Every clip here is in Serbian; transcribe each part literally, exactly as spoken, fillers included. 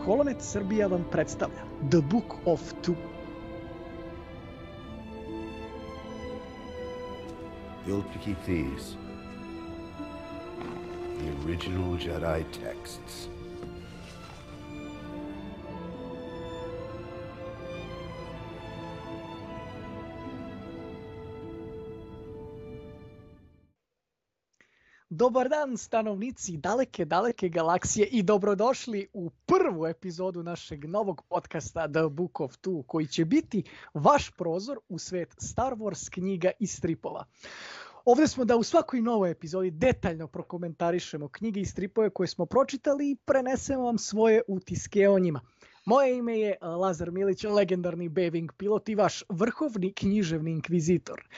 Holonet Srbija vam predstavlja The Book of Two. The Ultra Thieves. The original Jedi texts. Dobar dan, stanovnici daleke, daleke galaksije i dobrodošli u prvu epizodu našeg novog podcasta The Book of Two, koji će biti vaš prozor u svet Star Wars knjiga i stripova. Ovdje smo da u svakoj novoj epizodi detaljno prokomentarišemo knjige i stripove koje smo pročitali i prenesemo vam svoje utiske o njima. Moje ime je Lazar Milić, legendarni B-Wing pilot i vaš vrhovni književni inkvizitor.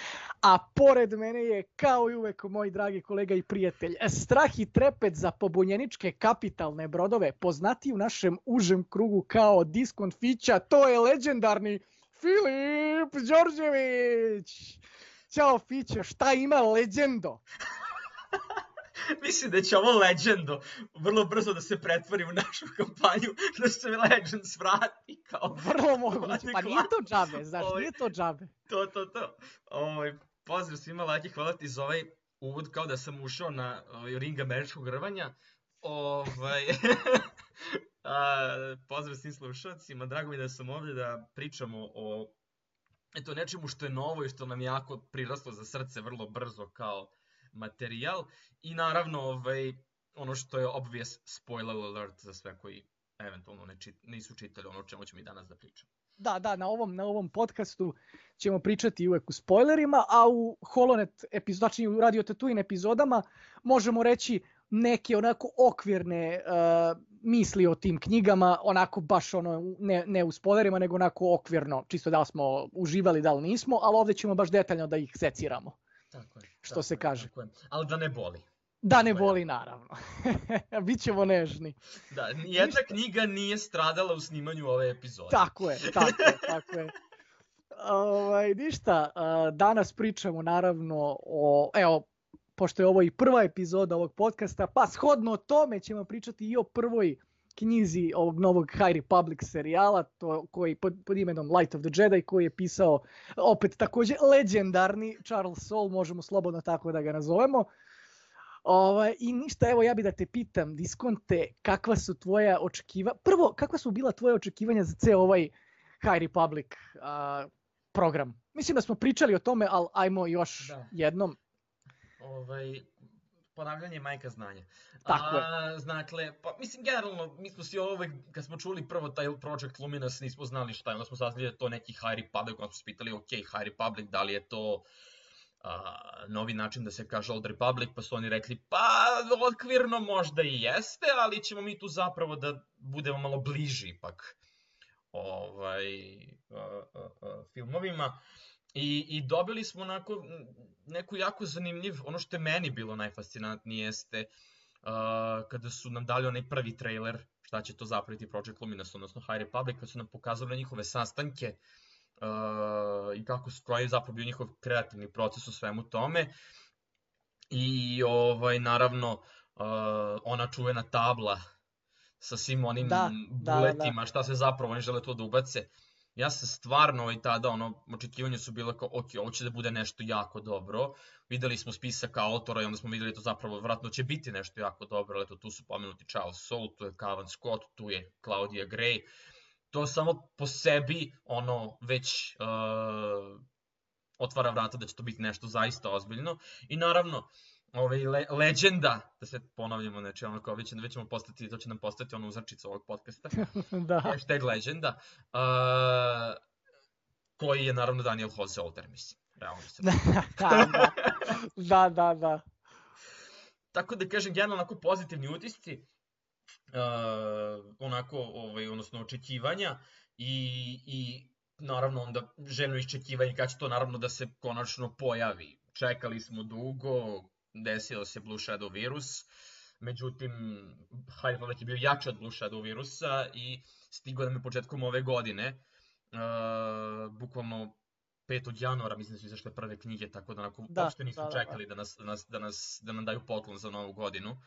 A pored mene je, kao i uvek, moj dragi kolega i prijatelj, strah i trepet za pobunjeničke kapitalne brodove, poznati u našem užem krugu kao Diskont Fića, to je legendarni Filip Đorđević. Ćao Fiće, šta ima legendo? Mislim da će ovo Legendo vrlo brzo da se pretvori u našu kampanju, da se Legends vrati kao... Vrlo moguće, pa nije to džabe, znaš, Oj, nije to džabe. To, to, to. Oj, pozdrav svima, Laki, hvala ti za ovaj uvod, kao da sam ušao na ovaj, ring američkog rvanja. Ovaj... A, pozdrav svim slušalcima, drago mi da sam ovdje da pričamo o eto, nečemu što je novo i što nam je jako priraslo za srce vrlo brzo kao materijal i naravno ovaj, ono što je obvious spoiler alert za sve koji eventualno ne čit, nisu čitali ono o čemu ćemo i danas da pričamo. Da, da, na ovom, na ovom podcastu ćemo pričati uvek u spoilerima, a u Holonet epizod, znači u Radio Tatooine epizodama možemo reći neke onako okvirne uh, misli o tim knjigama, onako baš ono, ne, ne u spoilerima, nego onako okvirno, čisto da li smo uživali, da li nismo, ali ovdje ćemo baš detaljno da ih seciramo. Tako je. Što tako se je, kaže. Tako je. Ali da ne boli. Da ne boli, naravno. Bićemo nežni. Da, nijedna Ništa. knjiga nije stradala u snimanju ove epizode. Tako je, tako je, tako je. Ovaj, ništa, danas pričamo naravno o, evo, pošto je ovo i prva epizoda ovog podcasta, pa shodno tome ćemo pričati i o prvoj knjizi ovog novog High Republic serijala, to koji pod, pod imenom Light of the Jedi, koji je pisao opet također legendarni Charles Soule, možemo slobodno tako da ga nazovemo. Ovaj, I ništa, evo ja bi da te pitam, Diskonte, kakva su tvoja očekivanja, prvo, kakva su bila tvoja očekivanja za ceo ovaj High Republic uh, program? Mislim da smo pričali o tome, ali ajmo još da. jednom. Ovaj, ponavljanje je majka znanja. Tako A, je. Znakle, pa mislim generalno, mi smo svi uvek, kad smo čuli prvo taj Project Luminous, nismo znali šta je, onda smo saznali da je to neki High Republic, onda smo se pitali, ok, High Republic, da li je to a, novi način da se kaže Old Republic, pa su oni rekli, pa okvirno možda i jeste, ali ćemo mi tu zapravo da budemo malo bliži ipak ovaj, a, a, a, filmovima. I, I dobili smo onako neku jako zanimljiv, ono što je meni bilo najfascinantnije jeste uh, kada su nam dali onaj prvi trailer, šta će to zapraviti Project Luminous, odnosno High Republic, kada su nam pokazali njihove sastanke uh, i kako su koji zapravo bio njihov kreativni proces u svemu tome. I ovaj, naravno uh, ona čuvena tabla sa svim onim da, buletima, da, da. šta se zapravo oni žele to da ubace. Ja sam stvarno i tada, ono, očekivanje su bilo kao, ok, ovo će da bude nešto jako dobro. Videli smo spisak autora i onda smo videli to zapravo, vratno će biti nešto jako dobro, ali eto, tu su pomenuti Charles Soule, tu je Cavan Scott, tu je Claudia Gray. To samo po sebi, ono, već uh, otvara vrata da će to biti nešto zaista ozbiljno. I naravno, ovaj, le, legenda, da se ponavljamo, znači ono kao već, već ćemo postati, to će nam postati ono uzračica ovog podcasta, da. Hashtag legenda, uh, koji je naravno Daniel Jose Older, mislim, realno se. da, da, da, da. Tako da kažem, generalno onako pozitivni utisci, uh, onako, ovaj, odnosno očekivanja i, i naravno onda željno iščekivanje kad će to naravno da se konačno pojavi. Čekali smo dugo, desio se Blue Shadow virus, međutim, High Republic je bio jači od Blue Shadow virusa i stigao nam je početkom ove godine, uh, bukvalno petog januara, mislim da su izašle prve knjige, tako da onako da, uopšte nisu da, čekali da, da, nas, da, nas, da, nas, da nam daju poklon za novu godinu. Uh,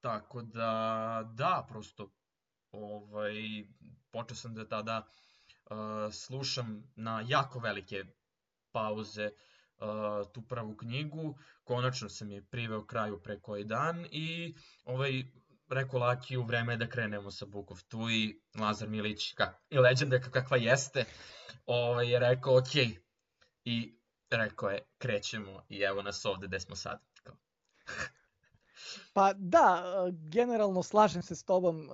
tako da, da, prosto ovaj, počeo sam da tada uh, slušam na jako velike pauze uh, tu prvu knjigu. Konačno sam je priveo kraju pre koji dan i ovaj, rekao Lakiju, vreme je da krenemo sa Book of Two i Lazar Milić, kak, i legenda kakva jeste, ovaj, je rekao ok. I rekao je krećemo i evo nas ovde gde smo sad. Pa da, generalno slažem se s tobom,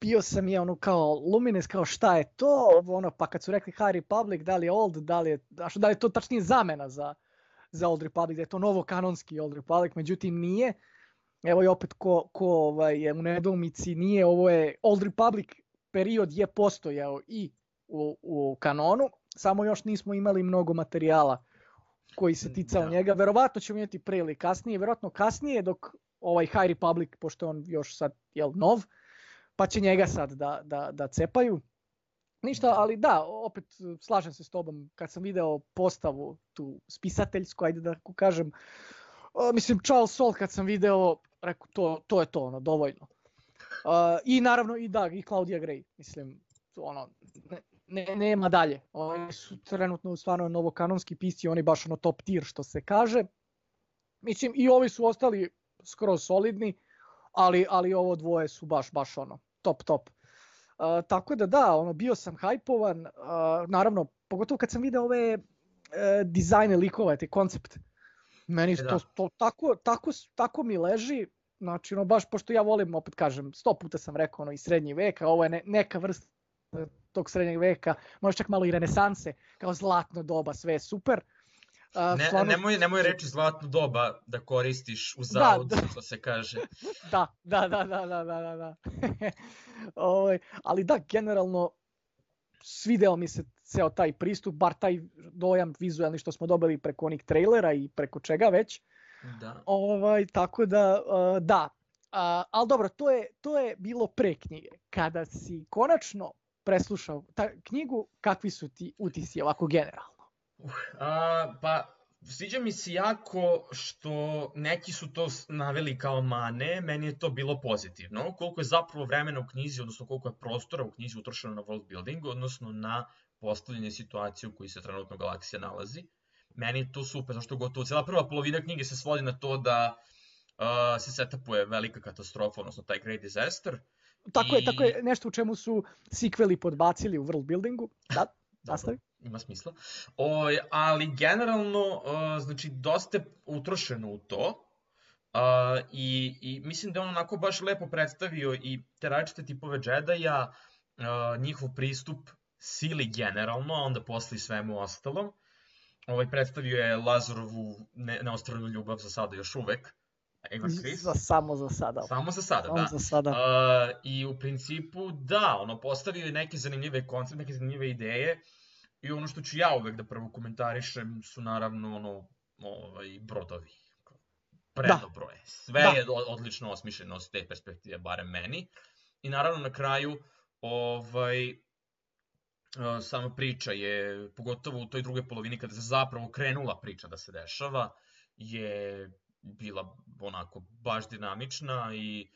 bio sam je ono kao Lumines, kao šta je to, ono, pa kad su rekli High Republic, da li je Old, da li je, da li je to tačnije zamena za, za Old Republic, da je to novo kanonski Old Republic, međutim nije. Evo i opet ko, ko ovaj, je u nedoumici, nije, ovo je Old Republic period je postojao i u, u kanonu, samo još nismo imali mnogo materijala koji se ticao da. njega. Verovatno ćemo imati pre ili kasnije, verovatno kasnije dok ovaj High Republic, pošto on još sad jel, nov, pa će njega sad da, da, da cepaju. Ništa, ali da, opet slažem se s tobom, kad sam video postavu tu spisateljsku, ajde da kažem, uh, mislim Charles Soule kad sam video, rekao to, to je to, ono, dovoljno. Uh, I naravno i da, i Claudia Gray, mislim, ono, ne, ne, nema dalje. Oni su trenutno stvarno novokanonski pisci, oni baš ono top tier što se kaže. Mislim, i ovi su ostali skroz solidni, ali, ali ovo dvoje su baš, baš ono, top, top. Uh, tako da da, ono, bio sam hajpovan, uh, naravno, pogotovo kad sam video ove uh, dizajne likova, te koncept. Meni to, to tako, tako, tako mi leži, znači, ono, baš, pošto ja volim, opet kažem, sto puta sam rekao, ono, i srednji vek, a ovo je ne, neka vrsta tog srednjeg veka, možda čak malo i renesanse, kao zlatno doba, sve je super. Uh, ne, stvarno... nemoj, nemoj reći zlatno doba da koristiš u zavod, da, da. što se kaže. da, da, da, da, da, da, da. Ove, ali da, generalno svideo mi se ceo taj pristup, bar taj dojam vizualni što smo dobili preko onih trailera i preko čega već. Da. Ovaj, tako da, uh, da. Uh, ali dobro, to je, to je bilo pre knjige. Kada si konačno preslušao ta knjigu, kakvi su ti utisci ovako generalno? Uh, a, pa, sviđa mi se jako što neki su to naveli kao mane, meni je to bilo pozitivno. Koliko je zapravo vremena u knjizi, odnosno koliko je prostora u knjizi utrošeno na world building, odnosno na postavljanje situacije u kojoj se trenutno galaksija nalazi. Meni je to super, zašto gotovo cijela prva polovina knjige se svodi na to da uh, se setupuje velika katastrofa, odnosno taj Great Disaster. Tako I... je, tako je, nešto u čemu su sequeli podbacili u world buildingu. Da, nastavi. Ima smisla. O, ali generalno, uh, znači, dosta je utrošeno u to. Uh, i, I mislim da je on onako baš lepo predstavio i te različite tipove Jedi-a, uh, njihov pristup sili generalno, a onda posle i svemu ostalom. Ovaj, predstavio je Lazarovu ne, neostranu ljubav za sada još uvek. Za, samo za sada. Samo za sada, samo da. Za sada. Uh, I u principu, da, ono, postavio je neke zanimljive koncepte, neke zanimljive ideje. I ono što ću ja uvek da prvo komentarišem su naravno ono, ovaj, brodovi. Predobroje. Sve da. je odlično osmišljeno s te perspektive, barem meni. I naravno na kraju, ovaj, sama priča je, pogotovo u toj drugoj polovini kada se zapravo krenula priča da se dešava, je bila onako baš dinamična i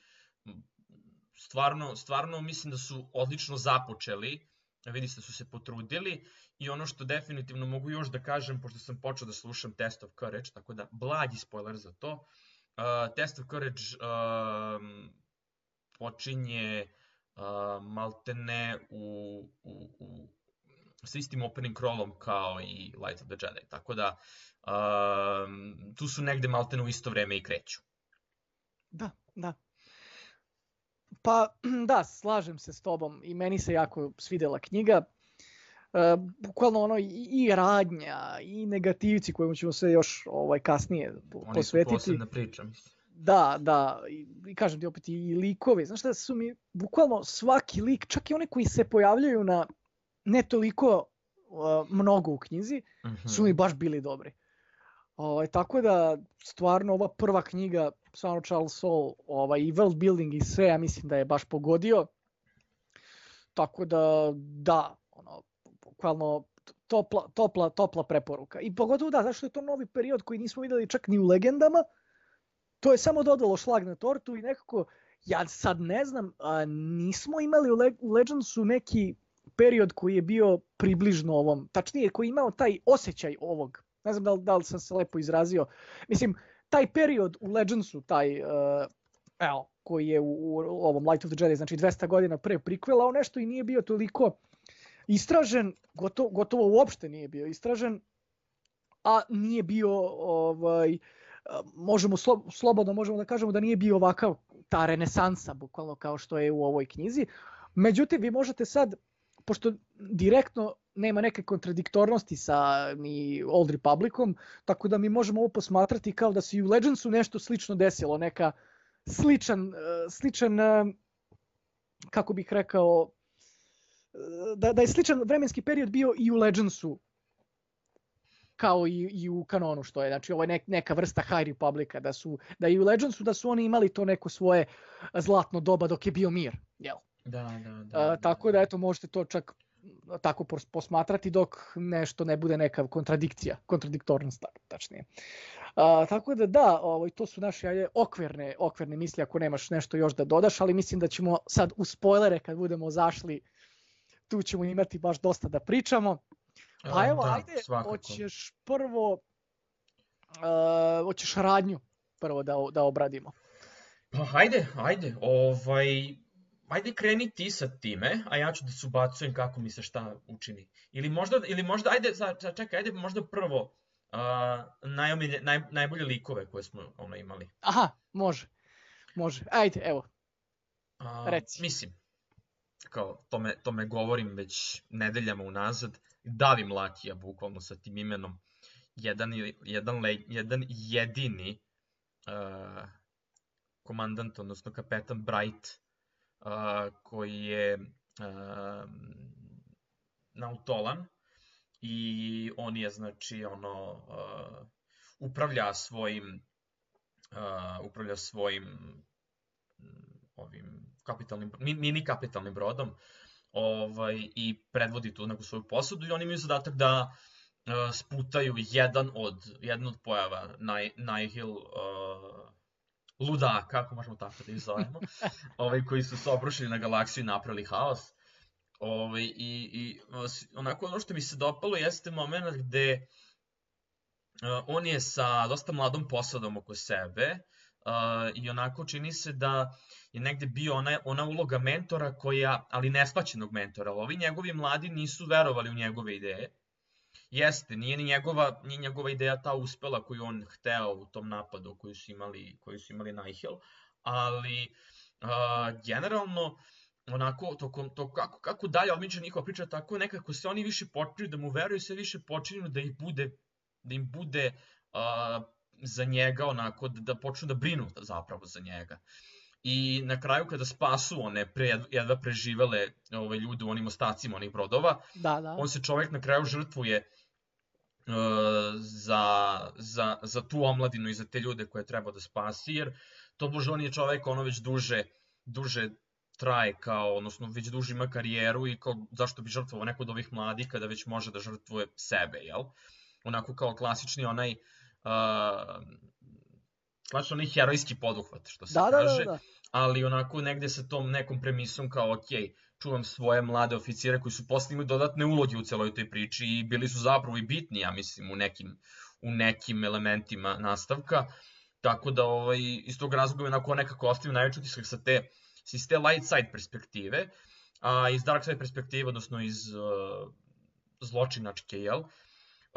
stvarno, stvarno mislim da su odlično započeli, vidi se da su se potrudili i ono što definitivno mogu još da kažem, pošto sam počeo da slušam Test of Courage, tako da blagi spoiler za to, uh, Test of Courage uh, počinje uh, maltene u, u, u s istim opening crawlom kao i Light of the Jedi, tako da um, tu su negde maltene u isto vreme i kreću. Da, da. Pa da, slažem se s tobom i meni se jako svidela knjiga. Uh, bukvalno ono i, i radnja i negativci kojima ćemo se još ovaj kasnije posvetiti. Oni su posebna priča, mislim. Da, da, i, i kažem ti opet i likovi. Znaš šta su mi, bukvalno svaki lik, čak i oni koji se pojavljaju na ne toliko uh, mnogo u knjizi, mm-hmm. su mi baš bili dobri. Ovaj, tako da, stvarno, ova prva knjiga, stvarno Charles Soule, ovaj, i world building i sve, ja mislim da je baš pogodio. Tako da, da, ono, bukvalno topla, topla, topla preporuka. I pogotovo da, zašto je to novi period koji nismo videli čak ni u legendama, to je samo dodalo šlag na tortu i nekako Ja sad ne znam, a, nismo imali u, Le u Legendsu neki period koji je bio približno ovom, tačnije koji je imao taj osjećaj ovog. Ne znam da li, da li sam se lepo izrazio. Mislim, taj period u Legendsu, taj, uh, evo, koji je u, u ovom Light of the Jedi, znači dvesta godina pre prequela, on nešto i nije bio toliko istražen, gotovo, gotovo uopšte nije bio istražen, a nije bio, ovaj, možemo slo, slobodno možemo da kažemo da nije bio ovakav ta renesansa, bukvalno kao što je u ovoj knjizi. Međutim, vi možete sad, pošto direktno nema neke kontradiktornosti sa ni Old Republicom, tako da mi možemo ovo posmatrati kao da se i u Legendsu nešto slično desilo, neka sličan, sličan kako bih rekao, da, da je sličan vremenski period bio i u Legendsu, kao i, i u kanonu, što je, znači ovo je nek, neka vrsta High Republica, da su, da i u Legendsu da su oni imali to neko svoje zlatno doba dok je bio mir, jel? Da, da, da. A, tako da, eto, možete to čak tako posmatrati dok nešto ne bude neka kontradikcija, kontradiktornost, tačnije. A, tako da, da, ovo, to su naše ajde, okvirne, okvirne misli, ako nemaš nešto još da dodaš, ali mislim da ćemo sad u spoilere, kad budemo zašli, tu ćemo imati baš dosta da pričamo. Pa evo, da, ajde, svakako. hoćeš prvo, uh, hoćeš radnju prvo da, da obradimo. Pa hajde, ajde, ovaj, ajde kreni ti sa time, a ja ću da se ubacujem kako mi se šta učini. Ili možda, ili možda ajde, čekaj, ajde možda prvo uh, najomilje, naj, najbolje likove koje smo ono imali. Aha, može, može, ajde, evo, uh, reci. Mislim, kao, to me, to me govorim već nedeljama unazad, davim Lakija bukvalno sa tim imenom, jedan, jedan, jedan jedini uh, komandant, odnosno kapetan Bright, uh, koji je uh, nautolan i on je, znači, ono, uh, upravlja svojim, uh, upravlja svojim ovim kapitalnim, mini kapitalnim brodom, ovaj, i predvodi tu neku svoju posadu i oni imaju zadatak da uh, sputaju jedan od, jedan od pojava Nihil, Nihil uh, ludaka, kako možemo tako da ih zovemo, ovaj, koji su se obrušili na galaksiju i napravili haos. Ovaj, i, i onako ono što mi se dopalo jeste moment gde uh, on je sa dosta mladom posadom oko sebe, Uh, i onako čini se da je negde bio ona, ona uloga mentora koja, ali neshvaćenog mentora, ali ovi njegovi mladi nisu verovali u njegove ideje. Jeste, nije ni njegova, nije njegova ideja ta uspela koju on hteo u tom napadu koju su imali, koju su imali Nihil, ali uh, generalno onako, to, to kako, kako dalje odmiče njihova priča, tako nekako se oni više počinju da mu veruju, sve više počinju da ih bude, da im bude uh, za njega, onako, da, da počnu da brinu zapravo za njega. I na kraju kada spasu one pre, jedva preživele ove ljude u onim ostacima onih brodova, da, da. On se čovjek na kraju žrtvuje uh, za, za, za tu omladinu i za te ljude koje treba da spasi, jer to bože on je čovjek ono već duže, duže traje kao, odnosno već duže ima karijeru i kao, zašto bi žrtvovao neko od ovih mladih kada već može da žrtvuje sebe, jel? Onako kao klasični onaj Uh, klasično onaj herojski poduhvat, što se da, kaže, da, da, da. Ali onako negde sa tom nekom premisom kao, ok, čuvam svoje mlade oficire koji su posle imali dodatne uloge u celoj toj priči i bili su zapravo i bitni, ja mislim, u nekim, u nekim elementima nastavka, tako da ovaj, iz tog razloga onako nekako ostavim najveći utisak sa te, iz te light side perspektive, a iz dark side perspektive, odnosno iz uh, zločinačke, jel?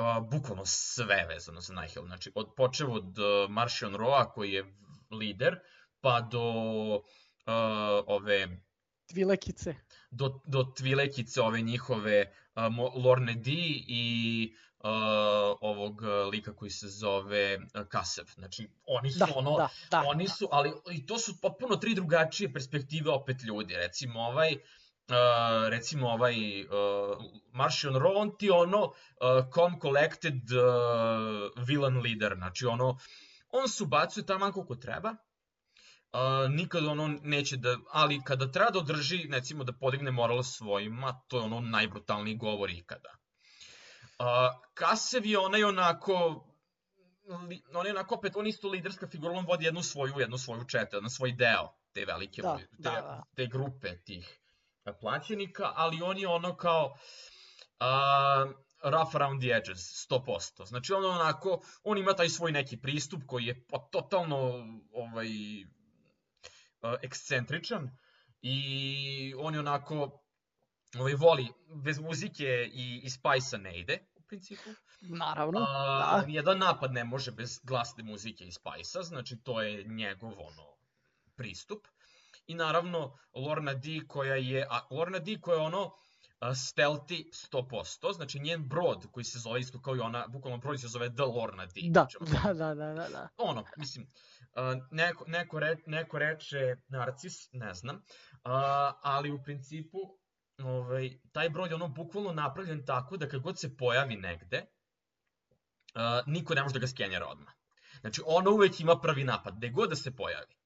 Uh, bukvalno sve vezano za Nihil, znači od, počev od uh, Marchion Roa koji je lider, pa do uh, ove... Tvilekice. Do, do Tvilekice, ove njihove uh, Lorne D i uh, ovog lika koji se zove uh, Kasev. Znači, oni su da, ono, da, da, oni da. su, ali i to su potpuno tri drugačije perspektive opet ljudi, recimo ovaj... Uh, recimo ovaj uh, Marchion Ro, on ti ono uh, calm collected uh, villain leader, znači ono, on se ubacuje tamo koliko treba, uh, nikad ono neće da, ali kada treba da održi, recimo da podigne moral svojima, to je ono najbrutalniji govor ikada. Uh, Kasev je onaj onako, on je onako opet, on isto liderska figura, on vodi jednu svoju, jednu svoju četu, jedan svoj deo te velike, Da, te, da, da. te grupe tih plaćenika, ali on je ono kao uh, rough around the edges, sto posto. Znači on onako, on ima taj svoj neki pristup koji je pa totalno ovaj, uh, ekscentričan i on je onako ovaj, voli, bez muzike i, i Spice-a ne ide, u principu. Naravno, A, da. Nijedan napad ne može bez glasne muzike i Spice-a, znači to je njegov ono, pristup. I naravno Lorna D koja je, a Lorna D koja je ono uh, stealthy sto posto, znači njen brod koji se zove isto kao i ona, bukvalno brod se zove The Lorna D. Da, Znači, da, da, da, da, da. ono, mislim, uh, neko, neko, re, neko reče narcis, ne znam, uh, ali u principu ovaj, taj brod je ono bukvalno napravljen tako da kad god se pojavi negde, uh, niko ne može da ga skenjera odmah. Znači, ono uvek ima prvi napad, gde god da se pojavi.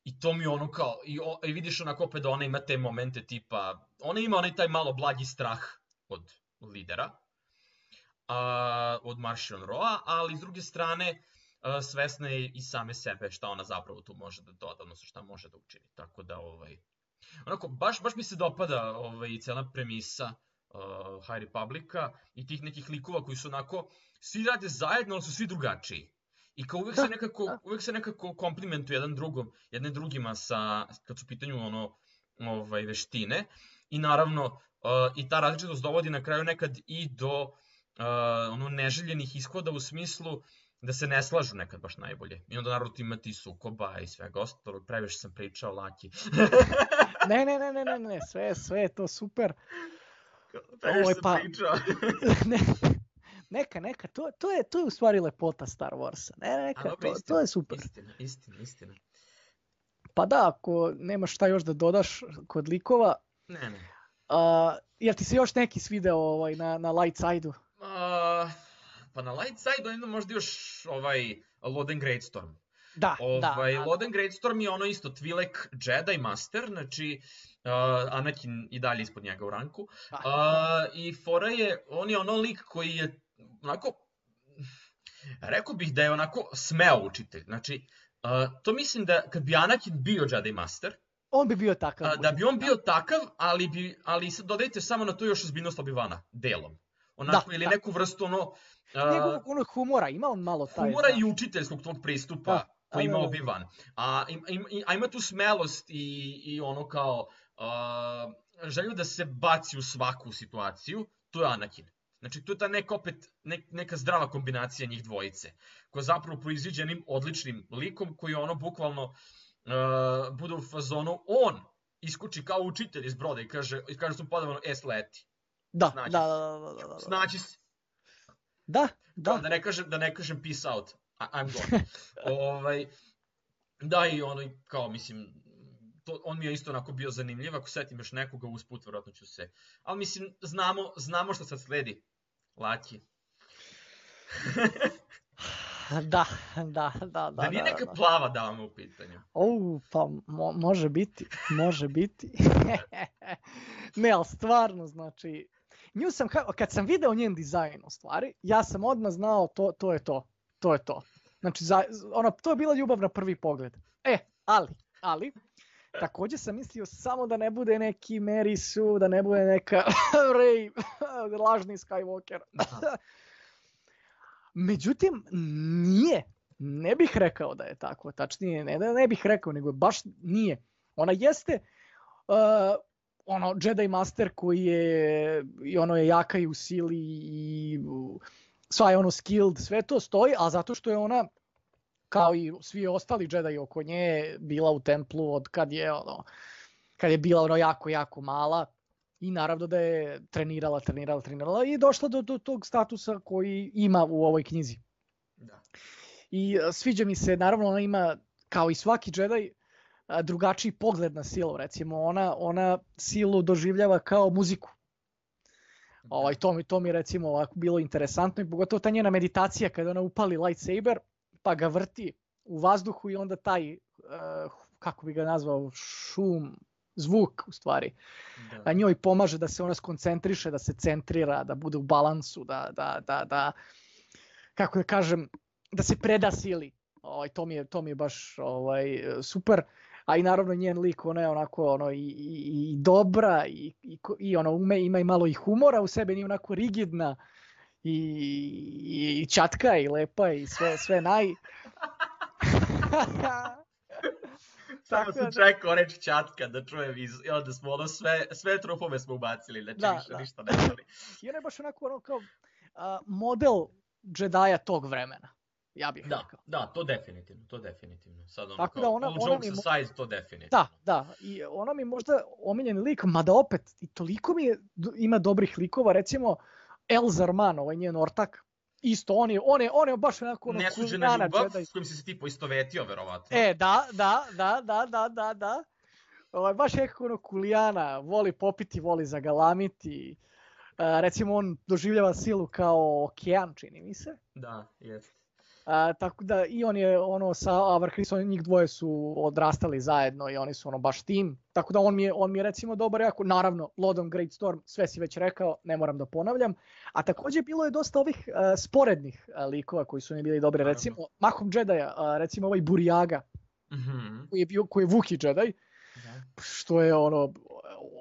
I to mi ono kao, i, o, i vidiš onako opet da ona ima te momente tipa, ona ima onaj taj malo blagi strah od lidera, a, od Martian Roa, ali s druge strane a, svesna je i same sebe šta ona zapravo tu može da doda, odnosno šta može da učini. Tako da, ovaj, onako, baš, baš mi se dopada ovaj, cela premisa uh, High Republica i tih nekih likova koji su onako, svi rade zajedno, ali su svi drugačiji. I kao uvek se nekako, uvek se nekako komplimentuju jedan drugom, jedne drugima sa, kad su u pitanju ono, ovaj, veštine. I naravno, uh, i ta različitost dovodi na kraju nekad i do uh, ono, neželjenih ishoda u smislu da se ne slažu nekad baš najbolje. I onda naravno imati sukoba i svega ostalog. Previše sam pričao, Laki. ne, ne, ne, ne, ne, ne, sve, sve je to super. Previše sam pa... pričao. ne. Neka, neka, to, to, je, to je u stvari lepota Star Warsa. Ne, neka, dobro, to, istina, to je super. Istina, istina, istina. Pa da, ako nemaš šta još da dodaš kod likova. Ne, ne. Uh, jel ti se još neki svideo ovaj, na, na light side-u? Uh, pa na light side-u jedno možda još ovaj Loden Greatstorm. Da, ovaj, da. Loden Greatstorm je ono isto Twi'lek Jedi Master, znači uh, Anakin i dalje ispod njega u ranku. Uh, I fora je, on je ono lik koji je onako, rekao bih da je onako smeo učitelj. Znači, uh, to mislim da kad bi Anakin bio Jedi Master, on bi bio takav. Uh, da bi on bio takav, ali, bi, ali dodajte samo na to još ozbiljnost Obi-Vana, delom. Onako, da, ili da. Neku vrstu ono... Uh, Njegovog onog humora, ima on malo taj... Humora i učiteljskog tog pristupa da, koji ima Obi-Wan. A, im, a ima tu smelost i, i ono kao uh, želju da se baci u svaku situaciju, to je Anakin. Znači, to je ta neka opet, ne, neka zdrava kombinacija njih dvojice, koja zapravo proiziđe jednim odličnim likom koji ono bukvalno uh, bude u fazonu, on iskuči kao učitelj iz broda i kaže, i kaže su podavano, es leti. Da, da, da, da, da, da. Snaći se. Da, da. Da ne kažem, da ne kažem peace out, I'm gone. ovaj, da i ono, kao mislim, to, on mi je isto onako bio zanimljiv, ako setim još nekoga usput, vjerojatno ću se. Ali mislim, znamo, znamo što sad sledi. Laki. da, da, da, da. Da nije neka da, da. plava dama u pitanju. O, pa mo, može biti, može biti. ne, ali stvarno, znači, nju sam, kad sam video njen dizajn u stvari, ja sam odmah znao to, to je to, to je to. Znači, za, ona, to je bila ljubav na prvi pogled. E, ali, ali, također sam mislio samo da ne bude neki Mary Sue, da ne bude neka Rey, lažni Skywalker. Međutim, nije. Ne bih rekao da je tako. Tačnije, ne da ne bih rekao, nego baš nije. Ona jeste uh, ono Jedi Master koji je i ono je jaka i u sili i uh, sva je ono skilled, sve to stoji, a zato što je ona kao i svi ostali Jedi oko nje bila u templu od kad je ono kad je bila ono jako jako mala i naravno da je trenirala, trenirala, trenirala i došla do, do tog statusa koji ima u ovoj knjizi. Da. I sviđa mi se, naravno ona ima kao i svaki Jedi drugačiji pogled na silu, recimo ona ona silu doživljava kao muziku. Ovaj to mi to mi recimo ovako bilo interesantno i pogotovo ta njena meditacija kada ona upali lightsaber pa ga vrti u vazduhu i onda taj uh, kako bi ga nazvao šum, zvuk u stvari. Da. Njoj pomaže da se ona skoncentriše, da se centrira, da bude u balansu, da da da da kako da kažem, da se preda sili. Ovaj to mi je to mi je baš ovaj super. a i naravno njen lik, ona je onako ono, i, i, i dobra i, i, i ono, ume, ima i malo i humora u sebi, nije onako rigidna i, i, i čatka i lepa i sve, sve naj... Samo sam čekao reč čatka da čujem iz, i onda smo ono sve, sve trupove smo ubacili, znači da, više da. ništa ne želi. I ona je baš onako ono kao a, model Jedija tog vremena, ja bih da, rekao. Da, to definitivno, to definitivno. Sad ono Tako kao, da ona, all ona jokes mi, aside, to definitivno. Da, da, i ona mi možda omiljeni lik, mada opet i toliko mi je, ima dobrih likova, recimo El Zarman, ovaj njen ortak, isto, on je, on je, on je baš onako ono Nesuđena kuljana ljubav, Jedi. s kojim si se ti poistovetio, verovatno. E, da, da, da, da, da, da, da. Ovaj, baš nekako ono kulijana, voli popiti, voli zagalamiti. Uh, recimo, on doživljava silu kao okean, čini mi se. Da, jest. Uh, tako da i on je ono sa Avar Krisom, njih dvoje su odrastali zajedno i oni su ono baš tim. Tako da on mi je, on mi je recimo dobar jako. Naravno, Lodom Greatstorm, sve si već rekao, ne moram da ponavljam. A također bilo je dosta ovih uh, sporednih uh, likova koji su mi bili dobri. Naravno. Recimo, Mahom Jedija, uh, recimo ovaj Burjaga, mm-hmm. koji je bio, koji je Vuki Jedi, da. Što je ono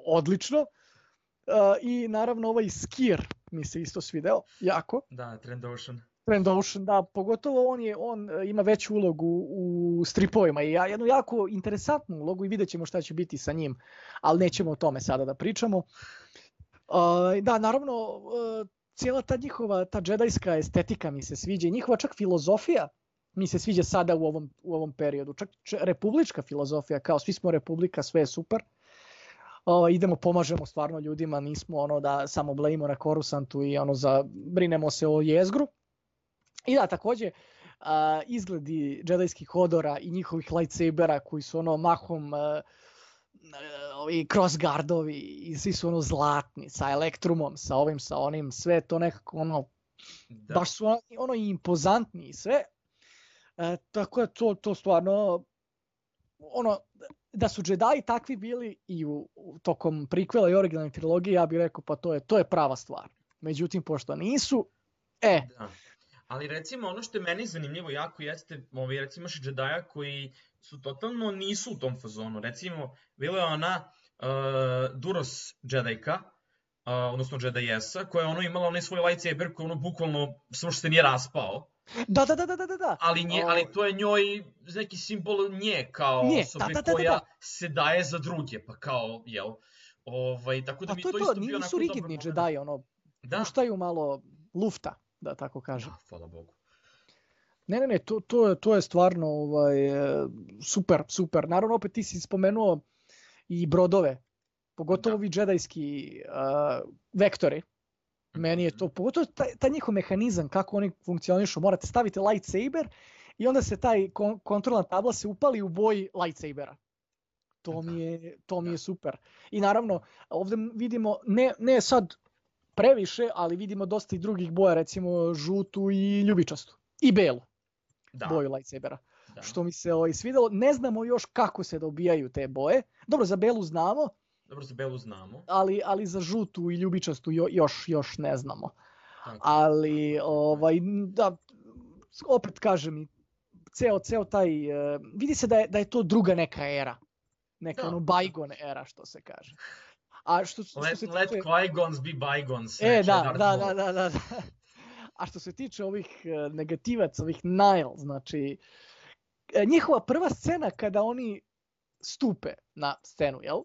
odlično. Uh, I naravno ovaj Skir mi se isto svideo, jako. Da, Trandoshan. Trandoshan, da, pogotovo on je on ima veću ulogu u stripovima i jednu jako interesantnu ulogu i vidjet ćemo šta će biti sa njim, ali nećemo o tome sada da pričamo. Uh, da, naravno, uh, cijela ta njihova, ta džedajska estetika mi se sviđa i njihova čak filozofija mi se sviđa sada u ovom, u ovom periodu. Čak republička filozofija, kao svi smo republika, sve je super. Uh, idemo, pomažemo stvarno ljudima, nismo ono da samo blejimo na Korusantu i ono za, brinemo se o jezgru. I da, također, uh, izgledi džedajskih odora i njihovih lightsabera koji su ono mahom uh, ovi crossguardovi i svi su ono zlatni, sa elektrumom, sa ovim, sa onim, sve to nekako ono, da. Baš su ono, ono i impozantni i sve. Uh, tako da to, to stvarno, ono, da su Jedi takvi bili i u, u tokom prikvela i originalne trilogije, ja bih rekao pa to je, to je prava stvar. Međutim, pošto nisu, e... Da. Ali recimo ono što je meni zanimljivo jako jeste, ovaj, recimo imaš Jedija koji su totalno nisu u tom fazonu. Recimo, bila je ona uh, Duros Jedijka, uh, odnosno Jedijesa, koja je ono imala onaj svoj lightsaber koji ono bukvalno samo što se nije raspao. Da, da, da, da, da, da. Ali, nje, ali to je njoj neki simbol nje kao nje, osobe da, da, da, koja da, da. se daje za druge, pa kao, jel? Ovaj, tako da pa mi to, to, to isto bio onako nisu rigidni Jedi, ono, da. puštaju malo lufta, da tako kažem. Da, hvala Bogu. Ne, ne, ne, to, to, to je stvarno ovaj, super, super. Naravno, opet ti si spomenuo i brodove, pogotovo ovi džedajski uh, vektori. Meni je to, pogotovo taj, taj njihov mehanizam, kako oni funkcionišu, morate staviti lightsaber i onda se taj kon- kontrolna tabla se upali u boji lightsabera. To mi je, to mi je super. I naravno, ovdje vidimo, ne, ne sad previše, ali vidimo dosta i drugih boja, recimo žutu i ljubičastu. I belu da. Boju lightsabera. Da. Što mi se ovaj, svidelo. Ne znamo još kako se dobijaju te boje. Dobro, za belu znamo. Dobro, za belu znamo. Ali, ali za žutu i ljubičastu jo, još, još ne znamo. Tako. Ali, ovaj, da, opet kažem, ceo, ceo taj, uh, vidi se da je, da je to druga neka era. Neka da. Ono bygone era, što se kaže. A što, što let, se let tiče... Qui-Gons be bygones. E, da, da, da, da, da. A što se tiče ovih negativaca, ovih Nihil, znači, njihova prva scena kada oni stupe na scenu, jel?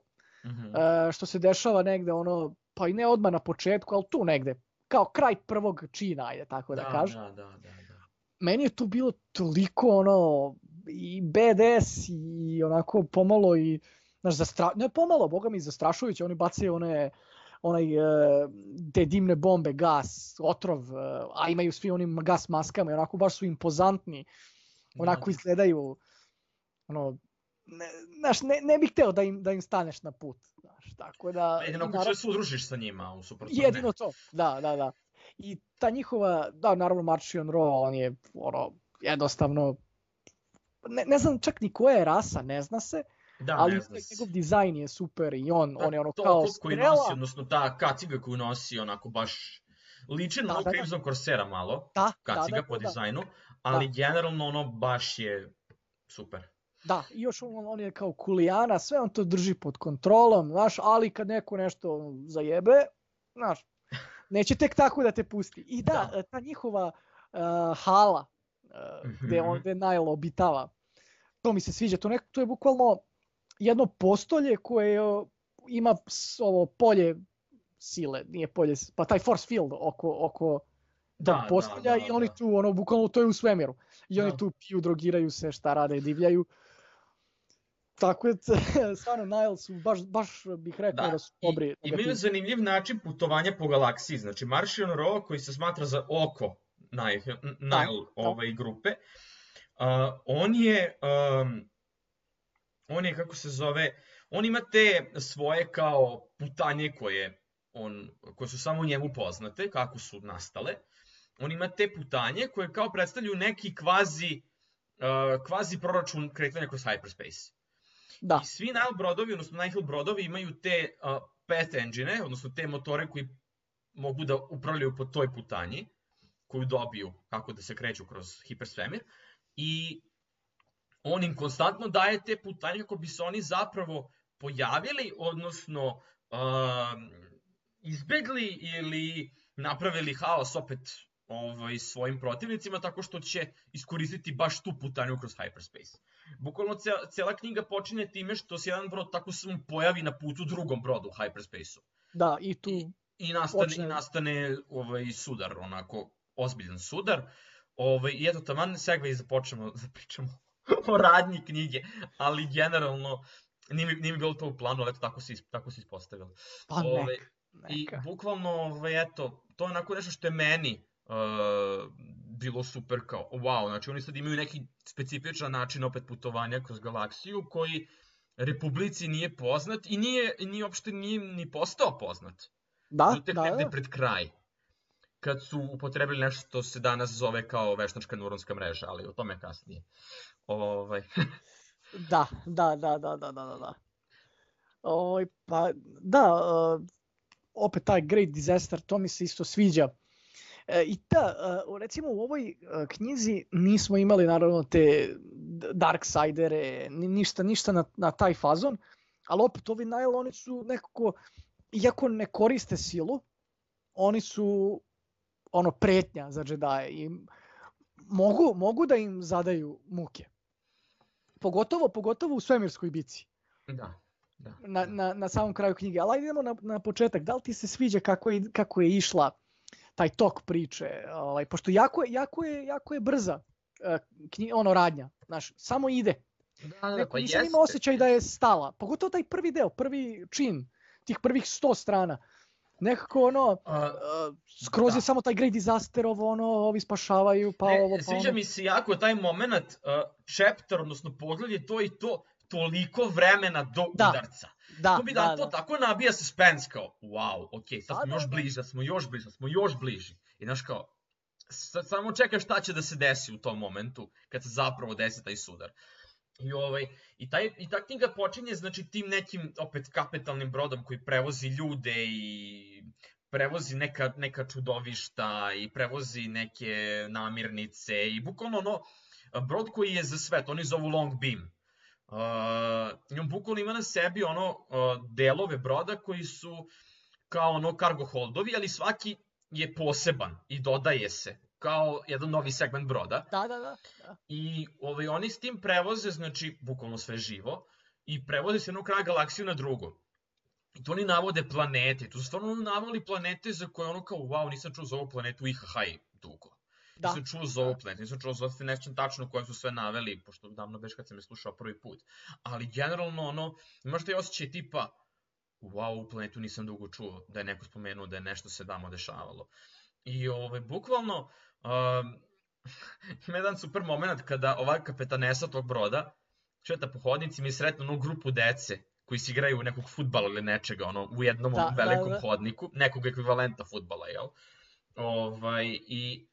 Mm-hmm. E, što se dešava negde, ono, pa i ne odmah na početku, ali tu negde, kao kraj prvog čina, ajde tako da, da kažem. Da, da, da, da. Meni je tu bilo toliko, ono, i B D S i onako pomalo i, znaš, zastra... ne pomalo, boga mi, zastrašujuće, oni bacaju one... onaj, te dimne bombe, gas, otrov, a imaju svi onim gas maskama i onako baš su impozantni, onako da. Izgledaju, ono, ne, znaš, ne, ne bih hteo da im, da im staneš na put, znaš, tako da... Jedino ako naravno, se udružiš sa njima, u suprotno ne. Jedino to, da, da, da. I ta njihova, da, naravno Marchion Ro, on je, ono, jednostavno, ne, ne znam čak ni koja je rasa, ne zna se, da, ali njegov dizajn je super i on, da, on je ono to, kao to koji strela. Nosi, odnosno ta kaciga koju nosi, onako baš liči na da, Crimson da. Corsera malo, da, kaciga da, da, po da, dizajnu, ali da. Generalno ono baš je super. Da, i još on, on je kao kulijana, sve on to drži pod kontrolom, znaš, ali kad neko nešto zajebe, znaš, neće tek tako da te pusti. I da, Da. ta njihova uh, hala, uh, gde on, Mhm. gde Nile obitava, to mi se sviđa, to, nek, to je bukvalno jedno postolje koje uh, ima s- ovo polje sile, nije polje, s- pa taj force field oko, oko tog Da, postolja da, i da, oni da. tu, ono, bukvalno to je u svemiru. I oni Da. tu piju, drogiraju se, šta rade, divljaju. Tako je, stvarno, Nile su, baš, baš bih rekao da, Da, da su i dobri imaju negativci. zanimljiv način putovanja po galaksiji. Znači, Martian Row, koji se smatra za oko Nile, Da, Nile da, ovaj, grupe, uh, on je, um, on je, kako se zove, on ima te svoje kao putanje koje, on, koje su samo njemu poznate, kako su nastale. On ima te putanje koje kao predstavljaju neki kvazi, uh, kvazi proračun kretanja kroz hyperspace. da, I svi Nile brodovi, odnosno Nihil brodovi imaju te uh, path engine, odnosno te motore koji mogu da upravljaju po toj putanji, koju dobiju kako da se kreću kroz hipersvemir. I on im konstantno daje te putanje kako bi se oni zapravo pojavili, odnosno uh, izbegli ili napravili haos opet ovaj, svojim protivnicima tako što će iskoristiti baš tu putanju kroz hyperspace. Bukvalno cijela, cijela knjiga počinje time što se jedan brod tako samo pojavi na putu drugom brodu u hyperspaceu. da, i tu I, i nastane, počne... i nastane ovaj, sudar, onako ozbiljan sudar. Ovaj, I eto, taman segway započnemo da pričamo o radnji knjige, ali generalno nije mi, nije mi bilo to u planu, ali eto, tako se, tako se ispostavilo. Pa Ovaj, neka, I neka. bukvalno, ovaj, eto, to je onako nešto što je meni uh, bilo super kao, wow, znači oni sad imaju neki specifičan način opet putovanja kroz galaksiju koji Republici nije poznat i nije, nije uopšte nije ni postao poznat. Da, Tek da, negde da. pred kraj, kad su upotrebili nešto što se danas zove kao veštačka neuronska mreža, ali o tome kasnije. Ovaj. Da, da, da, da, da, da, da. Oj, pa, da, uh, opet taj Great Disaster, to mi se isto sviđa. E, I da, uh, recimo u ovoj uh, knjizi nismo imali naravno te Darksidere, ni, ništa, ništa na, na taj fazon, ali opet ovi Nile, oni su nekako, iako ne koriste silu, oni su ono pretnja za džedaje i mogu, mogu da im zadaju muke. Pogotovo, pogotovo u svemirskoj bici. Da, da. Na, na, na samom kraju knjige. Ali ajde idemo na, na početak. Da li ti se sviđa kako je, kako je išla taj tok priče? Ovaj, pošto jako je, jako je, jako je brza uh, knji, ono radnja. Znaš, samo ide. Da, da, Neko, pa nisam jeste. imao osjećaj da je stala. Pogotovo taj prvi deo, prvi čin, tih prvih sto strana. Nekako ono, uh, skroz da. je samo taj Great Disaster, ovo ono, ovi spašavaju, pa ne, ovo, pa sviđa ono. mi se jako taj moment, uh, chapter, odnosno pogled je to i to, toliko vremena do Da, udarca. Da, to bi da, da, to da. tako nabija suspense kao, wow, ok, sad Da, smo da, još da. bliži, sad smo još bliži, sad smo još bliži. I znaš kao, sad samo čekaš šta će da se desi u tom momentu, kad se zapravo desi taj sudar. I, ovaj, i, taj, I ta knjiga počinje znači tim nekim opet kapitalnim brodom koji prevozi ljude i prevozi neka, neka čudovišta i prevozi neke namirnice i bukvalno ono, brod koji je za svet, oni zovu Long Beam. Uh, I on bukvalno ima na sebi ono uh, delove broda koji su kao ono cargo holdovi, ali svaki je poseban i dodaje se kao jedan novi segment broda. Da, da, da. da. I ovaj, oni s tim prevoze, znači, bukvalno sve živo, i prevoze se jednog kraja galaksiju na drugo. I to oni navode planete, to su stvarno navali planete za koje ono kao, wow, nisam čuo za ovu planetu I H H dugo. Da. Nisam čuo za ovu planetu, nisam čuo za ovu nešto tačno koje su sve naveli, pošto davno već kad sam je slušao prvi put. Ali generalno, ono, imaš taj osjećaj tipa, wow, ovu planetu nisam dugo čuo, da je neko spomenuo da je nešto se tamo dešavalo. I ovaj, bukvalno, um, ima jedan super moment kada ova kapetanesa tog broda šeta po hodnicima i sretne onu grupu dece koji se igraju nekog fudbala ili nečega, ono, u jednom da, velikom da, da. hodniku, nekog ekvivalenta fudbala, jel? Ovaj, I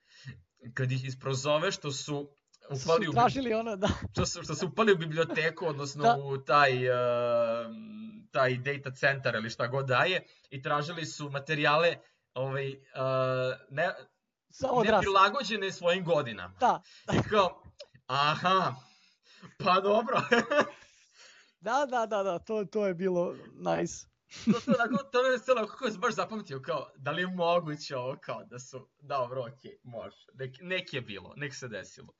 kad ih isprozove što su upali su tražili ono, da. Što su, što su upali u biblioteku, odnosno da. u taj, uh, taj data center ili šta god daje, i tražili su materijale ovaj, uh, ne, ne prilagođene svojim godinama. Da. I kao, aha, Pa dobro. Da, da, da, da, to, to je bilo nice. to, to, onako, to je scena kako je baš zapamtio, kao, da li je moguće ovo, kao, da su, dobro, okej, okay, može, nek, nek je bilo, nek se desilo.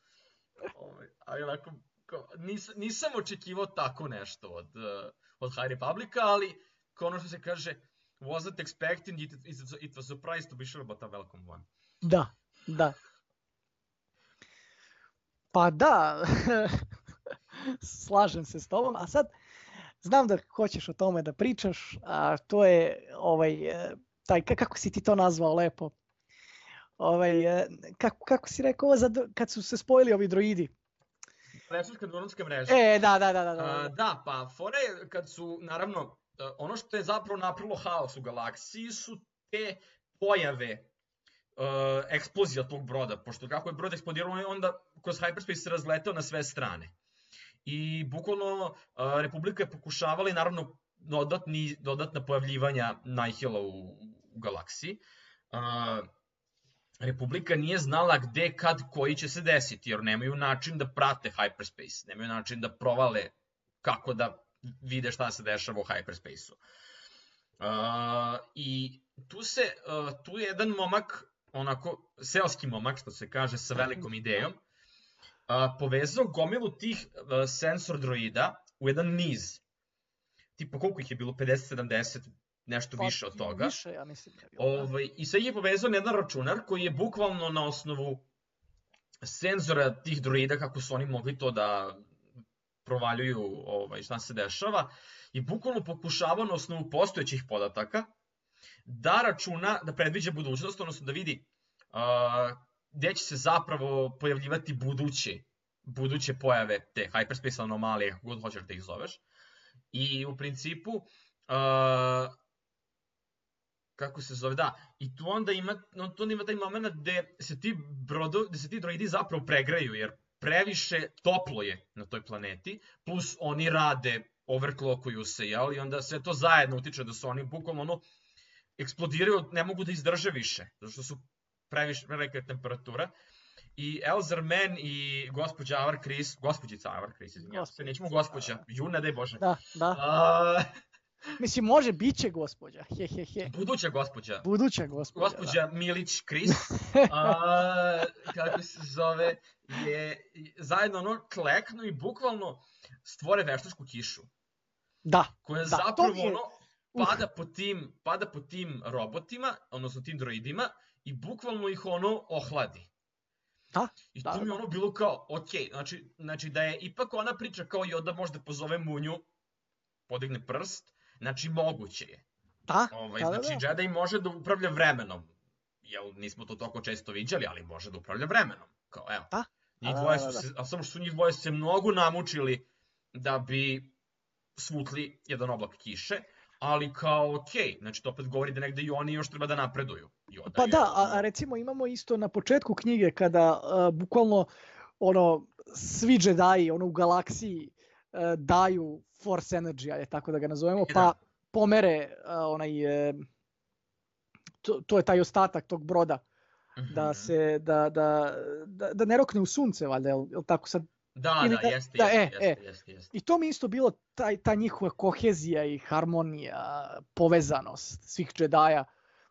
Ovaj, ali onako, kao, nis, nisam očekivao tako nešto od, uh, od High Republica, ali, kao ono što se kaže, wasn't expecting it, it, it was a surprise to be sure about a welcome one. Da, da. Pa da, slažem se s tobom, a sad znam da hoćeš o tome da pričaš, a to je ovaj, taj, kako si ti to nazvao lepo, ovaj, kako, kako si rekao, za, kad su se spojili ovi droidi? Veštačka neuronska mreža. E, da, da, da. Da, da. A, da pa fora je kad su, naravno, ono što je zapravo napravilo haos u galaksiji su te pojave uh, eksplozija tog broda, pošto kako je brod eksplodirao, onda kroz hyperspace se razletao na sve strane. I bukvalno uh, Republika je pokušavala i naravno dodatni, dodatna pojavljivanja Nihila u, u galaksiji. Uh, Republika nije znala gde, kad, koji će se desiti, jer nemaju način da prate hyperspace, nemaju način da provale kako da vide šta se dešava u hyperspace-u. Uh, I tu se, uh, tu je jedan momak, onako, seoski momak, što se kaže, sa velikom idejom, uh, povezao gomilu tih uh, sensor droida u jedan niz. Tipa koliko ih je bilo, pedeset sedamdeset, nešto pa, više od toga. Više, ja mislim. Da je bilo, ovaj, I sve ih je povezao na jedan računar koji je bukvalno na osnovu senzora tih droida, kako su oni mogli to da provaljuju ovaj, šta se dešava, i bukvalno pokušavao na osnovu postojećih podataka da računa, da predviđa budućnost, odnosno da vidi uh, gde će se zapravo pojavljivati buduće, buduće pojave te hyperspace anomalije, kako god hoćeš da ih zoveš. I u principu, uh, kako se zove, da, i tu onda ima, no, tu onda ima taj moment gde se ti, brodo, gde se ti droidi zapravo pregreju, jer previše toplo je na toj planeti, plus oni rade, overclockuju se, jel? I onda sve to zajedno utiče da su oni bukvalno ono, eksplodiraju, ne mogu da izdrže više, zato što su previše velika temperatura. I Elzar Mann i gospođa Avar Kriss, gospođica Avar Kriss, izvinjam se, nećemo gospođa, ju ne daj Bože. Da, da. A... Mislim, može, bit će gospođa, he, he, he. Buduća gospođa. Buduća gospođa, Gospođa da. Milić Kriss, a, kako se zove, je zajedno ono kleknu i bukvalno stvore veštačku kišu. Da, koja da, zapravo je... ono pada po tim, pada po tim robotima, odnosno tim droidima, i bukvalno ih ono ohladi. Da, I da, to mi je da. ono bilo kao, ok, znači, znači da je ipak ona priča kao Yoda možda pozove Munju, podigne prst, znači moguće je. Da, ovaj, da, da, znači da. Jedi može da upravlja vremenom. Jel, nismo to toliko često viđali, ali može da upravlja vremenom. Kao, evo. Da, Njih da, dvoje da, su da. se, a samo što su njih dvoje se mnogo namučili da bi svutli jedan oblak kiše, ali kao okej, okay, znači to opet govori da negde i oni još treba da napreduju. Yoda Pa je, da, a, a recimo imamo isto na početku knjige kada uh, bukvalno ono svi Jedi ono u galaksiji uh, daju Force Energy, ajde tako da ga nazovemo, E, pa da. pomere uh, onaj uh, to, to je taj ostatak tog broda Mhm. da se da, da, da, da ne rokne u sunce, valjda, jel, jel tako sad? Da, ili da, da- jeste, da, jeste, e, jeste, jeste, jeste. I to mi isto bilo taj, ta njihova kohezija i harmonija, povezanost svih Jedi-a.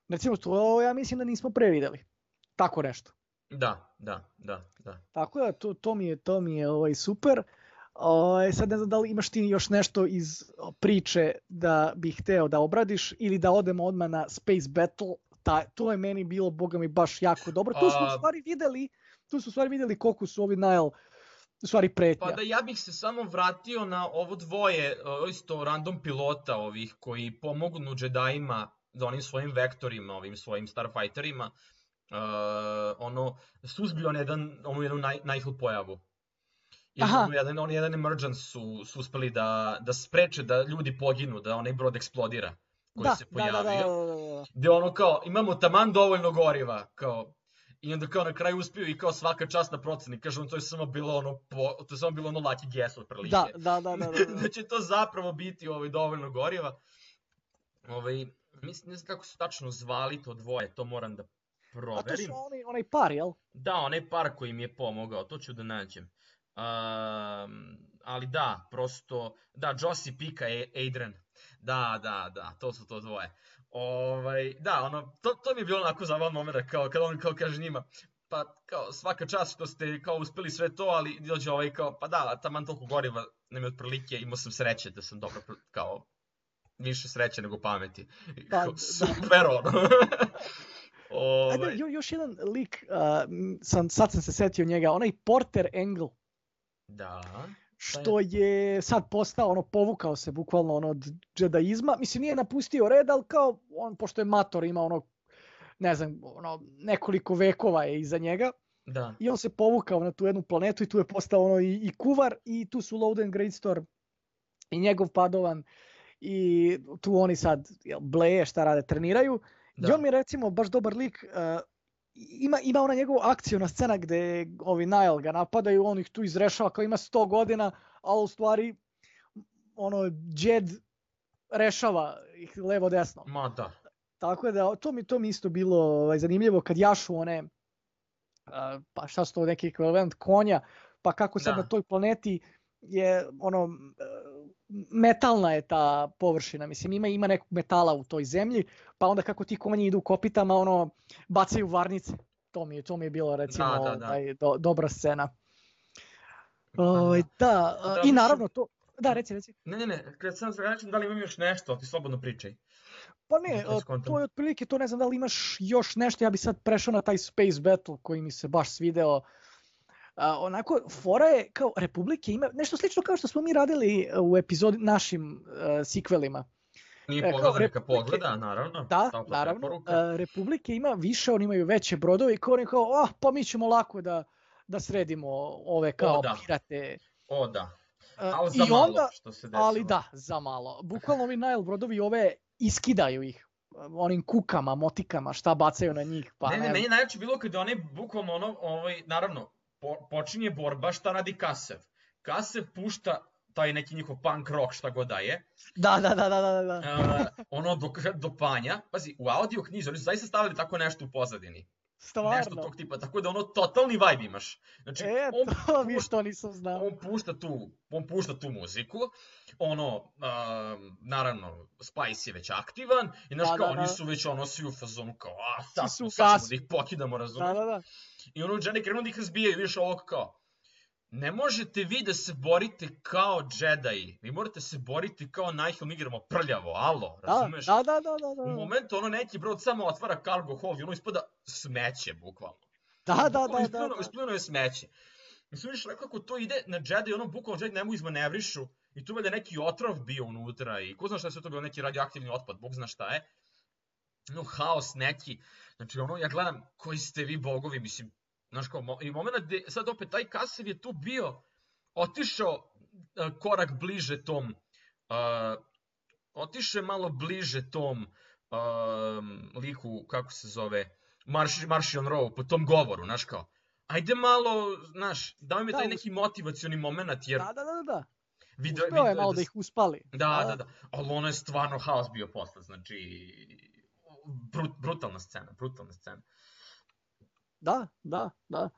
Recimo, to ja mislim da nismo prevideli. Tako nešto. Da, da, da, da. Tako da, to, to mi je, to mi je ovaj, super. Ovaj, sad ne znam da li imaš ti još nešto iz priče da bih hteo da obradiš ili da odemo odmah na Space Battle. Ta, to je meni bilo, boga mi, baš jako dobro. Tu smo u A- stvari videli, tu smo u stvari videli koliko su ovi Nile u stvari pretnja. Pa da ja bih se samo vratio na ovo dvoje, o, isto random pilota ovih koji pomognu Jedijima za onim svojim vektorima, ovim svojim Starfighterima, uh, ono, suzbio on jedan, onu jednu naj, Nihil pojavu. I Aha. ono jedan, on jedan emergence su, su uspeli da, da spreče da ljudi poginu, da onaj brod eksplodira koji da, se da, pojavio. da, da, da, da. Gde ono kao, imamo taman dovoljno goriva, kao, i onda kao na kraju uspiju i kao svaka čast na proceni, kaže on to je samo bilo ono, po, to je samo bilo ono lucky guess otprilike. Da, da, da, da, da, da. Da će to zapravo biti ovaj, dovoljno goriva. Ovaj, mislim, ne znam kako su tačno zvali to dvoje, to moram da A to proverim. su onaj, onaj par, jel? Da, onaj par koji mi je pomogao, to ću da nađem. Um, ali da, prosto, da, Joss i Pika, Adrian, da, da, da, to su to dvoje. Ovaj, da, ono, to, to mi je bilo onako zabavan moment, kao, kada on kao kaže njima, pa kao svaka čast što ste kao uspeli sve to, ali dođe ovaj kao, pa da, taman toliko goriva nam je otprilike, imao sam sreće da sam dobro, kao, više sreće nego pameti. Pa, Kao, da. super, ono. Ajde, Ovaj, jo, još jedan lik, uh, sam, sad sam se setio njega, onaj Porter Engle, da. što je sad postao, ono, povukao se bukvalno ono, od džedaizma. Mislim, nije napustio red, ali kao, on, pošto je mator, ima ono, ne znam, ono, nekoliko vekova je iza njega. Da. I on se povukao na tu jednu planetu i tu je postao ono i, i kuvar i tu su Loden Greatstorm i njegov Padovan i tu oni sad jel, bleje šta rade, treniraju. Da. I on mi recimo baš dobar lik, uh, ima, ima ona njegova akcijna scena gde ovi Nile ga napadaju, on ih tu izrešava kao ima sto godina, ali u stvari ono Jed rešava ih levo desno. Ma da. Tako da to mi to mi isto bilo ovaj, zanimljivo kad jašu one uh, pa šta su to neki ekvivalent konja, pa kako sad Da. na toj planeti je ono uh, metalna je ta površina, mislim ima ima nekog metala u toj zemlji, pa onda kako ti konji idu kopitama, ono bacaju varnice. To mi je to mi je bilo recimo Da, da, da. ovaj, do, dobra scena. Pa Ovaj da. da, uh, Da, i mislim- naravno to da reci reci. Ne, ne, ne, kad sam se vraćam, da li imam još nešto, ti slobodno pričaj. Pa ne, Da to uh, skontam. to je otprilike to, ne znam da li imaš još nešto, ja bi sad prešao na taj Space Battle koji mi se baš svideo. Uh, onako, fora je kao Republike ima nešto slično kao što smo mi radili u epizodi našim uh, sikvelima. Nije E, kao pogledao, neka Republike- pogleda, naravno. Da, topla naravno. preporuka. Uh, Republike ima više, oni imaju veće brodove i kao oni kao, ah, pa mi ćemo lako da, da sredimo ove kao O, da. pirate. O, da. Uh, Ali za i malo, onda, što se desilo. ali da, za malo. Bukvalno ovi Nile brodovi ove iskidaju ih onim kukama, motikama, šta bacaju na njih. Pa ne, ne, ne, meni najjače bilo kada oni bukvalno ono, ovaj, naravno, po, počinje borba, šta radi Kasev? Kasev pušta taj neki njihov punk rock, šta god da je, Da, da, da, da, da, da. uh, ono do, do panja, pazi, u audio knjizi, oni su zaista stavili tako nešto u pozadini. Nešto Stvarno. tog tipa, tako da ono totalni vibe imaš. Znači, E, on to mi pušta- što nisam znao. on pušta tu, on pušta tu muziku, ono, um, naravno, Spice je već aktivan, i znaš Da, kao, da, oni da. su već ono svi u fazonu kao, a sad, Svi su smo, u sad ćemo gasu. da ih pokidamo, razumiješ? Da, da, da. I ono, Jedi krenu da ih razbijaju, vidiš ovog kao, ne možete vi da se borite kao Jedi, vi morate se boriti kao Nihil, mi igramo prljavo, alo, Da, razumeš? da, da, da, da, U da. momentu ono neki brod samo otvara cargo hold i ono ispada smeće, bukvalno. Da, da, da, Bukvalno da, ispliveno- da. ispliveno je smeće. Mislim, vidiš kako to ide na Jedi, ono bukvalno Jedi ne mogu izmanevrišu i tu valjda neki otrov bio unutra i ko zna šta je sve to bilo, neki radioaktivni otpad, bog zna šta je. No, haos neki. Znači, ono, ja gledam, koji ste vi bogovi, mislim, znaš kao, mo- i moment gde, sad opet, taj Kasev je tu bio, otišao uh, korak bliže tom, uh, otišao je malo bliže tom um, liku, kako se zove, Marš, Martian Row, po tom govoru, znaš kao, ajde malo, znaš, daj mi Da, taj us- neki motivacioni moment, jer Da, da, da, da. video, Uspeo je video malo da da s- ih uspali. Da, da, da. Ali ono je stvarno haos bio posle, znači... Brut, brutalna scena, brutalna scena. Da, da, da.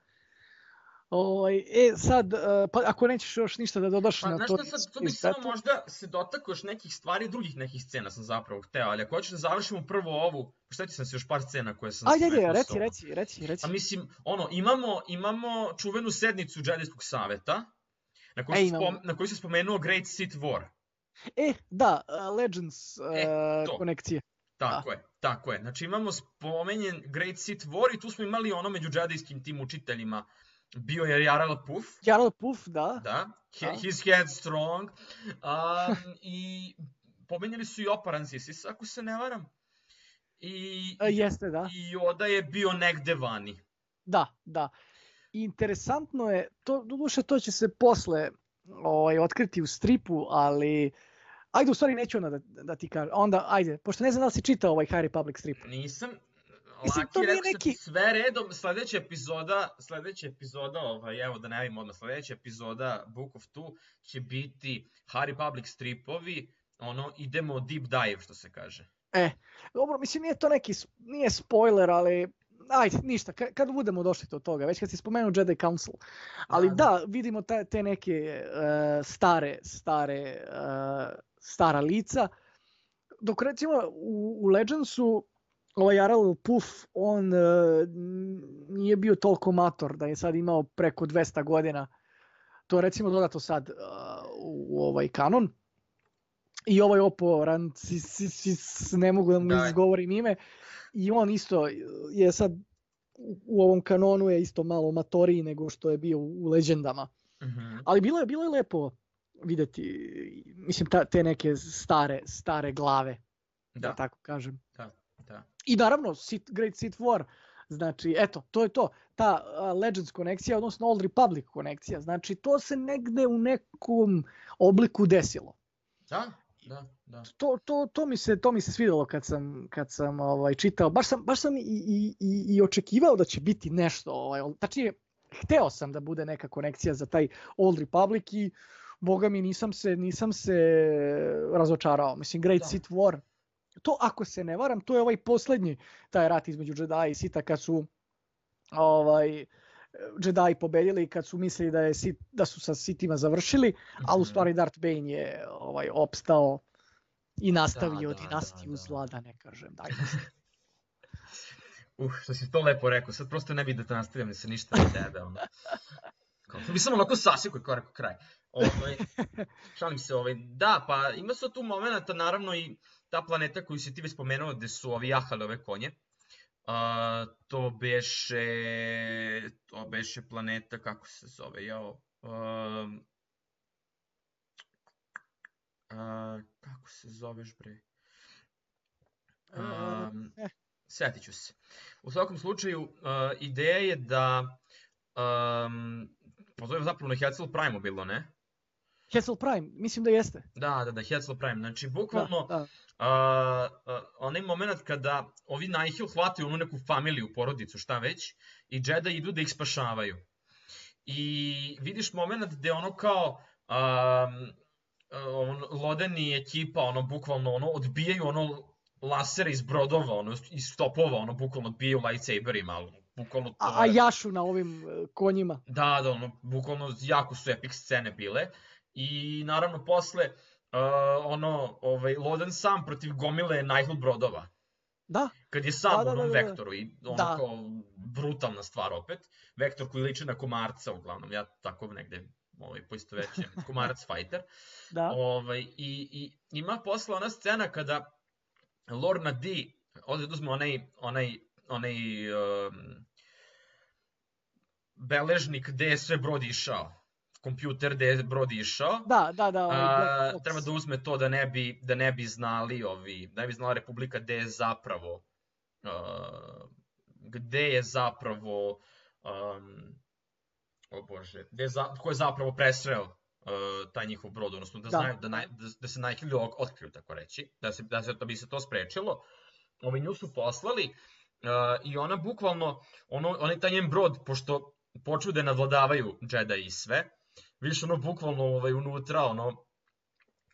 Ovaj, e, sad, uh, pa ako nećeš još ništa da dodaš Pa, na znaš to... šta, sad, tu bih Space samo Battle, možda se dotakao još nekih stvari, drugih nekih scena sam zapravo hteo, ali ako hoćeš da završimo prvo ovu, šta ti sam se još par scena koje sam Ajde, ajde, rekao reci, samo. reci, reci, reci. Pa mislim, ono, imamo, imamo čuvenu sednicu Jedijskog saveta, na kojoj, E, se imamo. spom, na kojoj se spomenuo Great Sith War. E, da, uh, Legends uh, E, to. konekcije. Tako je, tako je. Znači imamo spomenjen Great Sith War i tu smo imali ono među džedijskim tim učiteljima. Bio je Jarl Puff, Jarl Puff, da. da, he, Da. his head strong, um, i pomenjali su i Oparan Zisis, ako se ne varam. I, E, jeste, da. i Yoda je bio negde vani. Da, da. I interesantno je, to, doduše to će se posle ovaj, otkriti u stripu, ali ajde, u stvari neću onda da, da ti kažem. Onda, ajde, pošto ne znam da li si čitao ovaj High Republic strip. Nisam, Mislim, to Laki, nije rekao sam ti neki- sve redom, sledeća epizoda, sledeća epizoda, ovaj, evo da ne javim odmah, sledeća epizoda Book of Two će biti High Republic stripovi, ono, idemo deep dive, što se kaže. E, dobro, mislim, nije to neki, s- nije spoiler, ali ajde, ništa, ka, kad budemo došli do toga, već kad si spomenuo Jedi Council, ali Da, da, da. vidimo te, te neke uh, stare, stare, uh, stara lica, dok recimo u, u Legendsu ovaj Arel Puff, on uh, nije bio toliko mator da je sad imao preko dvesta godina. To je recimo dodato sad uh, u, u ovaj kanon. I ovaj Oppo Rancisis, ne mogu da mu Da. izgovorim ime, i on isto je sad u, u ovom kanonu je isto malo matoriji nego što je bio u, u Legendama. Mhm. Ali bilo je, bilo je lepo videti, mislim, ta, te neke stare, stare glave, da, da tako kažem. Da, da. I naravno, Sith, Great Sith War, znači, eto, to je to, ta uh, Legends konekcija, odnosno Old Republic konekcija, znači, to se negde u nekom obliku desilo. Da, da, da. To, to, to, mi se, to mi se svidelo kad sam, kad sam ovaj, čitao, baš sam, baš sam i, i, i, i očekivao da će biti nešto, ovaj, tačnije, hteo sam da bude neka konekcija za taj Old Republic i boga mi nisam se, nisam se razočarao. Mislim, Great Da. Sith War, to ako se ne varam, to je ovaj posljednji taj rat između Jedi i Sitha kad su ovaj, Jedi pobedili i kad su mislili da, je, Sith, da su sa Sithima završili, ali u stvari Darth Bane je ovaj, opstao i nastavio Da, da, dinastiju da, da. zla, da ne kažem. Daj, Uh, što si to lepo rekao, sad prosto ne bih da te nastavljam, da se ništa ne tebe, ono. Kao, to bi sam onako sasjekao i kao rekao kraj. Ovaj, šalim se, ovaj, da, pa ima su tu momenta, naravno i ta planeta koju si ti već spomenuo, gde su ovi jahali ove konje. Uh, to beše, to beše planeta, kako se zove, jao, um, uh, kako se zoveš bre? Um, eh. Sjetit ću se. U svakom slučaju, uh, ideja je da, um, pa to je zapravo na Hetzel Prime bilo, ne? Hetzel Prime, mislim da jeste. Da, da, da, Hetzel Prime. Znači, bukvalno, Da, da. uh, uh, onaj moment kada ovi Nihil hvataju onu neku familiju, porodicu, šta već, i Jedi idu da ih spašavaju. I vidiš moment gde ono kao, um, on, Loden i ekipa, ono, bukvalno, ono, odbijaju ono lasere iz brodova, ono, iz topova, ono, bukvalno odbijaju lightsaberima, ali bukvalno to... A, a jašu na ovim uh, konjima. Da, da, ono, bukvalno jako su epic scene bile. I naravno posle, uh, ono, ovaj, Loden sam protiv gomile Nihil brodova. Da. Kad je sam Da, u da, onom da, da. vektoru i ono Da. kao brutalna stvar opet. Vektor koji liči na komarca uglavnom, ja tako negde ovaj, poistovećujem, komarac fighter. Da. Ovaj, i, I ima posle ona scena kada Lorna D ode da uzme onaj, onaj, onaj um, beležnik gde je sve brod išao. Kompjuter gde je brod išao. Da, da, da. Ovaj A, Black Box. treba da uzme to da ne bi, da ne bi znali ovi, da ne bi znala Republika gde je zapravo uh, gde je zapravo um, o bože, gde je za, ko je zapravo presreo uh, taj njihov brod, odnosno da, Da. znaju, da, naj, da, da se Nihili otkriju, tako reći, da, se, da, se, da bi se to sprečilo. Ovi nju su poslali uh, i ona bukvalno, ono, onaj taj njen brod, pošto počnu da je nadvladavaju Jedi i sve, vidiš ono bukvalno ovaj, unutra, ono,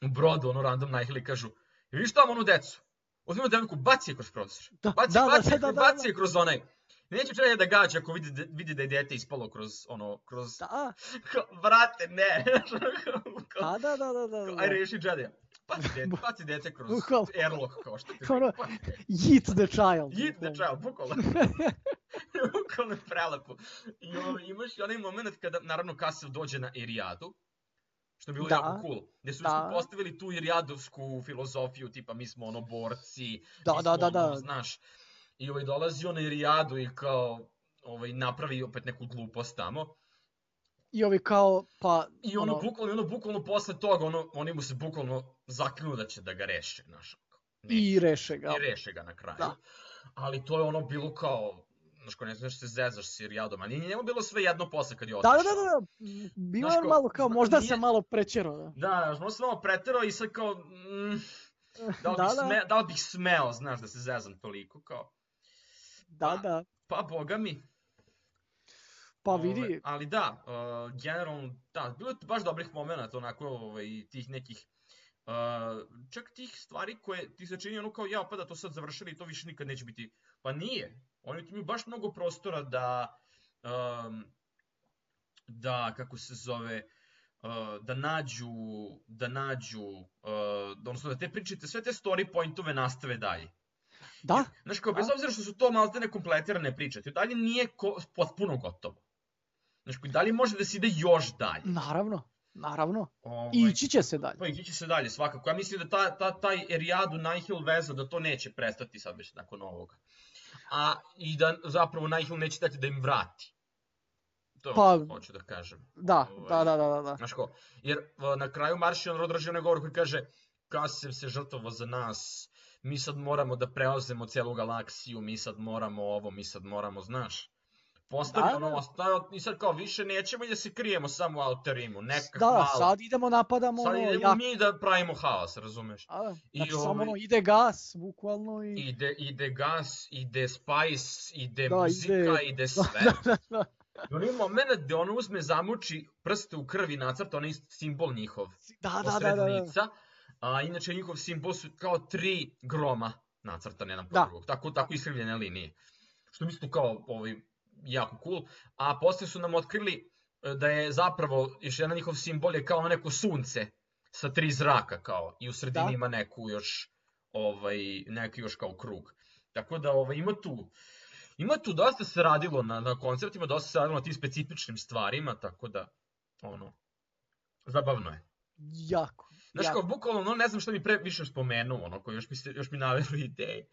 u brodu, ono random Nihili kažu, vidiš tamo onu decu, uzmimo devojku, baci je kroz prozor, Da, baci, da, baci, da, da, da, baci je kroz onaj, neće Jedi da gađa ako vidi, vidi da je dete ispalo kroz, ono, kroz, Da, kao, brate, ne, kao, da, da, da, da, da, da. aj reši Jedi, baci dete, baci dete kroz Bukvalno. airlock, kao što ti Ono, baci dete. Yeet the child. Yeet the child, bukvalno. Bukvalno je prelepo. I ovo, imaš i onaj moment kada, naravno, Kassav dođe na Irijadu, što je bilo Da. jako cool, gde su Da. postavili tu irijadovsku filozofiju, tipa mi smo ono borci, Da, mi da, smo da, da. ono, znaš. I ovaj, dolazi on na Irijadu i kao, ovaj, napravi opet neku glupost tamo. I ovi kao, pa... I ono, bukvalno, ono, bukvalno posle toga, ono, oni mu se bukvalno zaklinu da će da ga reše, znaš. I reše ga. I reše ga na kraju. Da. Ali to je ono bilo kao, znaš, ko ne znaš se zezaš s Irijadom, a nije njemu bilo sve jedno posle kad je Da, otišao. da, da, da. Bilo Znaš je kao, malo kao, zna- možda nije- sam malo prečerao. Da. Da, možda sam malo preterao i sad kao, mm, da, li Da, bih da. sme, da li bih smeo, znaš, da se zezam toliko, kao, Da, da. pa boga mi. Pa Ove, vidi, ali da, uh, generalno, da, bilo je baš dobrih momenata, onako, ovaj, tih nekih Uh, čak tih stvari koje ti se čini ono kao ja, pa da to sad završili i to više nikad neće biti. Pa nije. Oni imaju baš mnogo prostora da, um, da kako se zove, uh, da nađu, da nađu, uh, odnosno da te pričate, sve te story pointove nastave dalje. Da. Znaš kao, bez obzira što su to malte nekompletirane priče, to dalje nije ko, potpuno gotovo. Znaš kao, dalje može da se ide još dalje. Naravno. Naravno. Ovaj, I ići će se dalje. Pa ići će se dalje, svakako. Ja mislim da ta, ta, taj Eriadu Nihil veza, da to neće prestati sad već nakon ovoga. A i da zapravo Nihil neće dati da im vrati. To je Pa, ono što hoću da kažem. Da, Ovaj, da, da, da, da. Znaš ko, jer na kraju Maršion odraži onaj govor koji kaže Kasem se žrtvovao za nas, mi sad moramo da preuzemo celu galaksiju, mi sad moramo ovo, mi sad moramo, znaš. Postavio ono, ostavio, i sad kao više nećemo i da se krijemo samo u Outer Rimu, neka Da, hvala. sad idemo napadamo Sad ono, idemo jak... mi da pravimo haos, razumeš? A, I znači ovaj- samo ono, ide gas, bukvalno i... Ide, ide gas, ide spice, ide Da, muzika, ide- ide sve. Da, da. I onaj moment gde ono uzme, zamuči prste u krvi, nacrta onaj simbol njihov. Da, da, da, Posred da, da. lica, a inače njihov simbol su kao tri groma nacrtane jedan po Da. drugog, tako, tako iskrivljene linije. Što mislim kao ovaj, jako cool, a posle su nam otkrili e, da je zapravo još jedan njihov simbol je kao ono neko sunce sa tri zraka kao i u sredini Da. ima neku još ovaj neki još kao krug. Tako da ovaj ima tu ima tu dosta se radilo na na konceptima, dosta se radilo na tim specifičnim stvarima, tako da ono zabavno je. Jako. Znaš jako. kao, bukvalno, no, ne znam šta mi pre više spomenuo, ono, koji još mi, se, još mi naveru ideje.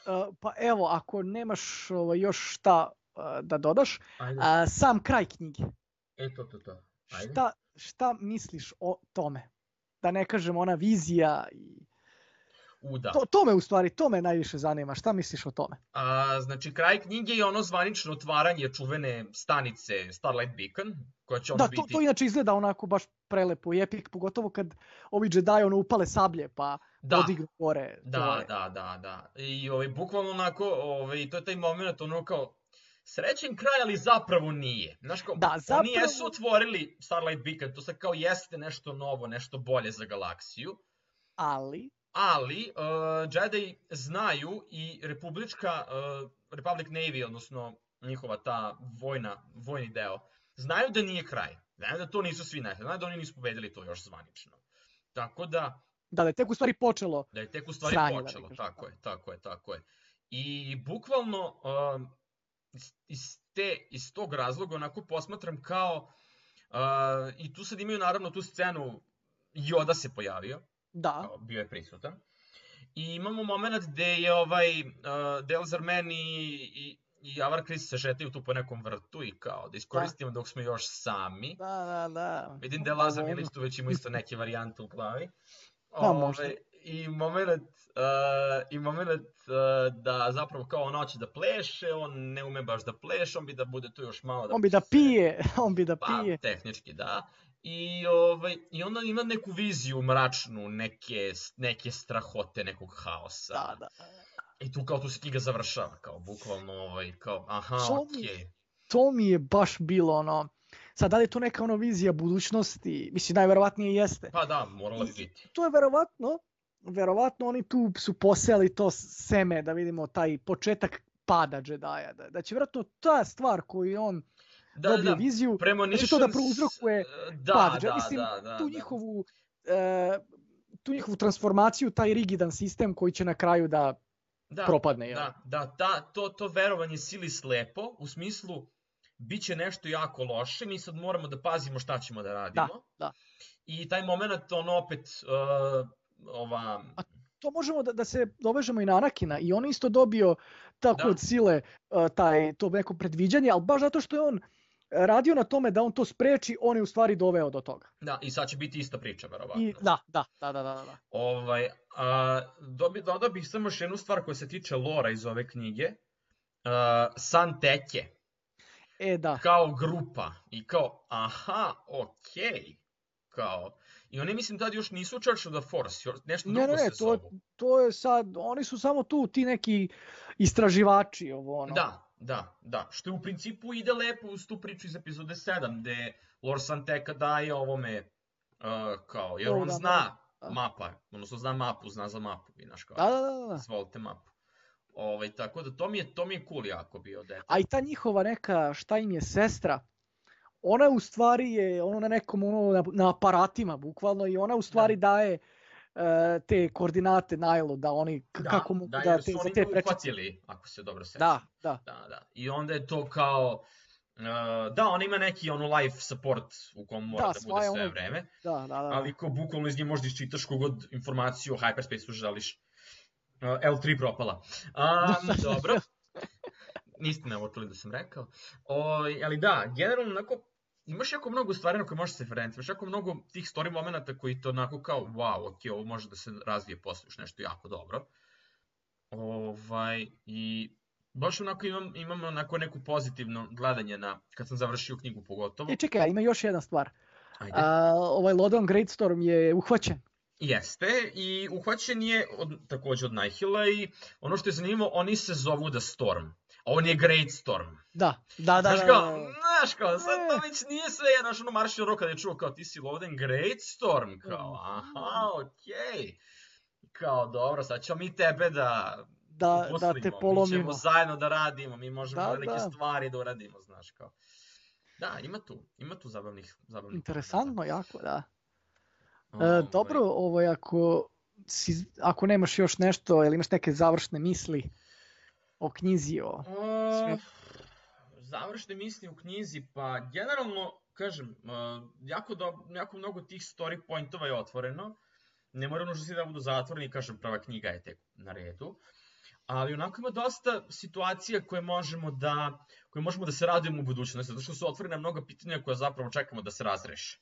Uh, pa evo, ako nemaš ovaj, još šta uh, da dodaš, Ajde, uh, sam kraj knjige. e, to, to, to. Ajde. Šta, šta misliš o tome? Da ne kažem ona vizija i... U, da. To, to me u stvari, to me najviše zanima. Šta misliš o tome? A, znači, kraj knjige je ono zvanično otvaranje čuvene stanice Starlight Beacon, koja će ono Da, biti... to, to inače izgleda onako baš prelepo i epik, pogotovo kad ovi Jedi ono upale sablje pa Da. podignu gore. to Da, je- da, da, da. I ovaj, bukvalno onako, ovaj, to je taj moment ono kao, srećen kraj, ali zapravo nije. Znaš kao, Da, oni zapravo- jesu otvorili Starlight Beacon, to sad kao jeste nešto novo, nešto bolje za galaksiju, Ali, ali uh, Jedi znaju i republička, uh, Republic Navy, odnosno njihova ta vojna, vojni deo, znaju da nije kraj. Znaju da to nisu svi nešli, znaju da oni nisu pobedili to još zvanično. Tako da, da je tek u stvari počelo. da je tek u stvari Sranje, da počelo, kažem. tako je, tako je, tako je. I bukvalno um, iz- iz, te, iz tog razloga onako posmatram kao, uh, i tu sad imaju naravno tu scenu, Yoda se pojavio, Da, kao, bio je prisutan. I imamo moment gde je ovaj uh, Delzar Man i, i, i Avar Kriss se šetaju tu po nekom vrtu i kao da iskoristimo dok smo još sami. da, da, da. Vidim da je Lazar Ovo, Milić tu već ima isto neke varijante u glavi. Da, možda. Ove, I moment, uh, i moment uh, da zapravo kao on hoće da pleše, on ne ume baš da pleše, on bi da bude tu još malo da... On bi da se- pije, on bi da Pa, pije. tehnički da. I, ovaj, I onda ima neku viziju mračnu, neke, neke strahote, nekog haosa. Da, da. I tu kao tu se knjiga završava, kao bukvalno, ovaj, kao, aha, To mi- okej. To mi je baš bilo ono... Sad, da li je to neka ono vizija budućnosti? Mislim, najverovatnije jeste. Pa da, morala bi biti. To je verovatno, verovatno oni tu su posejali to seme, da vidimo taj početak pada Jedi-a. Da, da će vjerojatno ta stvar koju je on Da, dobio da, viziju, premonitions, to da prouzrokuje da, pad. da, Mislim, da, da, tu da. njihovu... e, tu njihovu transformaciju, taj rigidan sistem koji će na kraju da Da, propadne. jel? Da, da, ta, to, to verovanje sili slepo, u smislu, bit će nešto jako loše, mi sad moramo da pazimo šta ćemo da radimo. da. I taj moment, ono opet, uh, ova... To možemo da, da se dovežemo i na Anakina i on isto dobio tako Da. od sile uh, taj, to neko predviđanje, ali baš zato što je on radio na tome da on to spreči, on je u stvari doveo do toga. Da, i sad će biti ista priča, verovatno. I, da, da, da, da, da, da. Ovaj, a, dobi, dodao bih samo još jednu stvar koja se tiče lora iz ove knjige. Uh, San Teke, E, da. kao grupa, i kao, aha, okej, kao, i oni mislim tad još nisu Church of the Force, još nešto Ne, drugo ne, ne, se to, zovu. to je sad, oni su samo tu ti neki istraživači, ovo ono. Da, da, da, što u principu ide lepo uz tu priču iz epizode sedam, gde Lord Santeka daje ovome, uh, kao, jer To on da, zna mapa, odnosno zna mapu, zna za mapu, vi znaš kao, Da, da, da, da. izvolite mapu. Ovaj, tako da to mi je, to mi je cool jako bio dete. A i ta njihova neka, šta im je, sestra, ona u stvari je ono na nekom, ono, na, na aparatima bukvalno, i ona u stvari Da. daje uh, te koordinate Nailu, da oni, k- Da, kako mogu da, da, jer te, su za oni te nju prečice. uhvatili, ako se dobro sećam. Da, da. Da, da. I onda je to kao, uh, da, on ima neki ono life support u kom mora Da, da, sva bude je sve ono- vreme, Da, da, da. ali ko bukvalno iz nje možda iščitaš kogod informaciju o hyperspaceu želiš. Uh, L tri propala. Um, dobro. Niste me ovo čuli da sam rekao. O, ali da, generalno onako, imaš jako mnogo stvari na koje možeš se referenti, imaš jako mnogo tih story momenta koji to onako kao, wow, ok, ovo može da se razvije posle još nešto jako dobro. Ovaj, i baš onako imam, imam onako neku pozitivno gledanje na, kad sam završio knjigu pogotovo. E, čekaj, a ima još jedna stvar. Ajde. A, ovaj Lodon Greatstorm je uhvaćen. Jeste, i uhvaćen je od, takođe od Nihila i ono što je zanimljivo, oni se zovu The Storm. A on je Great Storm. Da, da, da. Znaš da, kao, da. znaš kao, sad to E. već nije sve jedno, znaš ono Marshall Rock kada je čuo kao ti si Loden Great Storm, kao, aha, okej. Kao, dobro, sad ćemo mi tebe da Da, da uposlimo, te mi polomimo. ćemo zajedno da radimo, mi možemo Da, velike da. stvari da uradimo, znaš kao. Da, ima tu, ima tu zabavnih, zabavnih Interesantno, jako, da. momenta. E, dobro, ovaj, ako, si, ako nemaš još nešto, ili imaš neke završne misli o knjizi, o... O, završne misli u knjizi, pa generalno, kažem, uh, jako, do, jako mnogo tih story pointova je otvoreno. Ne mora nužno svi da budu zatvoreni, kažem, prva knjiga je tek na redu. Ali onako ima dosta situacija koje možemo da, koje možemo da se radujemo u budućnosti, zato što su otvorena mnoga pitanja koja zapravo čekamo da se razreše.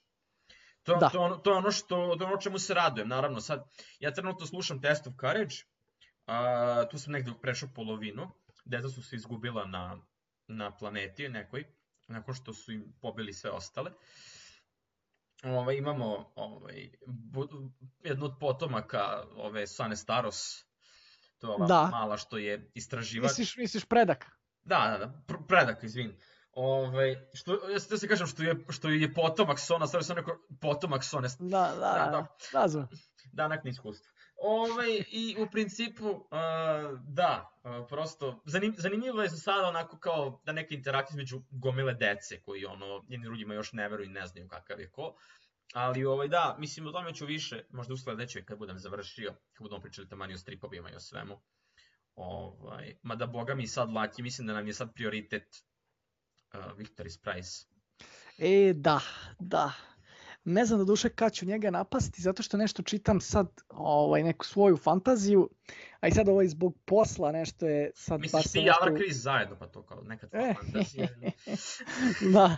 To, Da. to, je ono, to je ono što, to je ono čemu se radujem, naravno. Sad, ja trenutno slušam Test of Courage, a, tu sam negde prešao polovinu, deca su se izgubila na, na planeti nekoj, nakon što su im pobili sve ostale. Ovaj, imamo ovaj, bu, jednu od potomaka ove Sane Staros, to je ova Da. mala što je istraživač. Misliš, misliš predak? Da, da, da, pr- predak, izvin. Ove, što, ja se kažem što je, što je potomak Sona, stavio sam neko potomak Sone, Da, da, Da, da. da. Razumem. danak na iskustvo. Ove, I u principu, uh, da, uh, prosto, zanim, zanimljivo je za sada onako kao da neka interakcija između gomile dece koji ono, jedni drugima još ne veruju i ne znaju kakav je ko. Ali ovaj, da, mislim o tome ću više, možda u sledećoj kad budem završio, kad budemo pričali tamani o stripovima i o svemu. Ovaj, mada boga mi sad laki, mislim da nam je sad prioritet uh, Victory's Prize. E, da, da. Ne znam do duše kad ću njega napasti, zato što nešto čitam sad, ovaj, neku svoju fantaziju, a i sad ovaj zbog posla nešto je sad Misliš baš ti sam i nešto... Avra Chris zajedno, pa to kao neka tvoja E. fantazija. Da.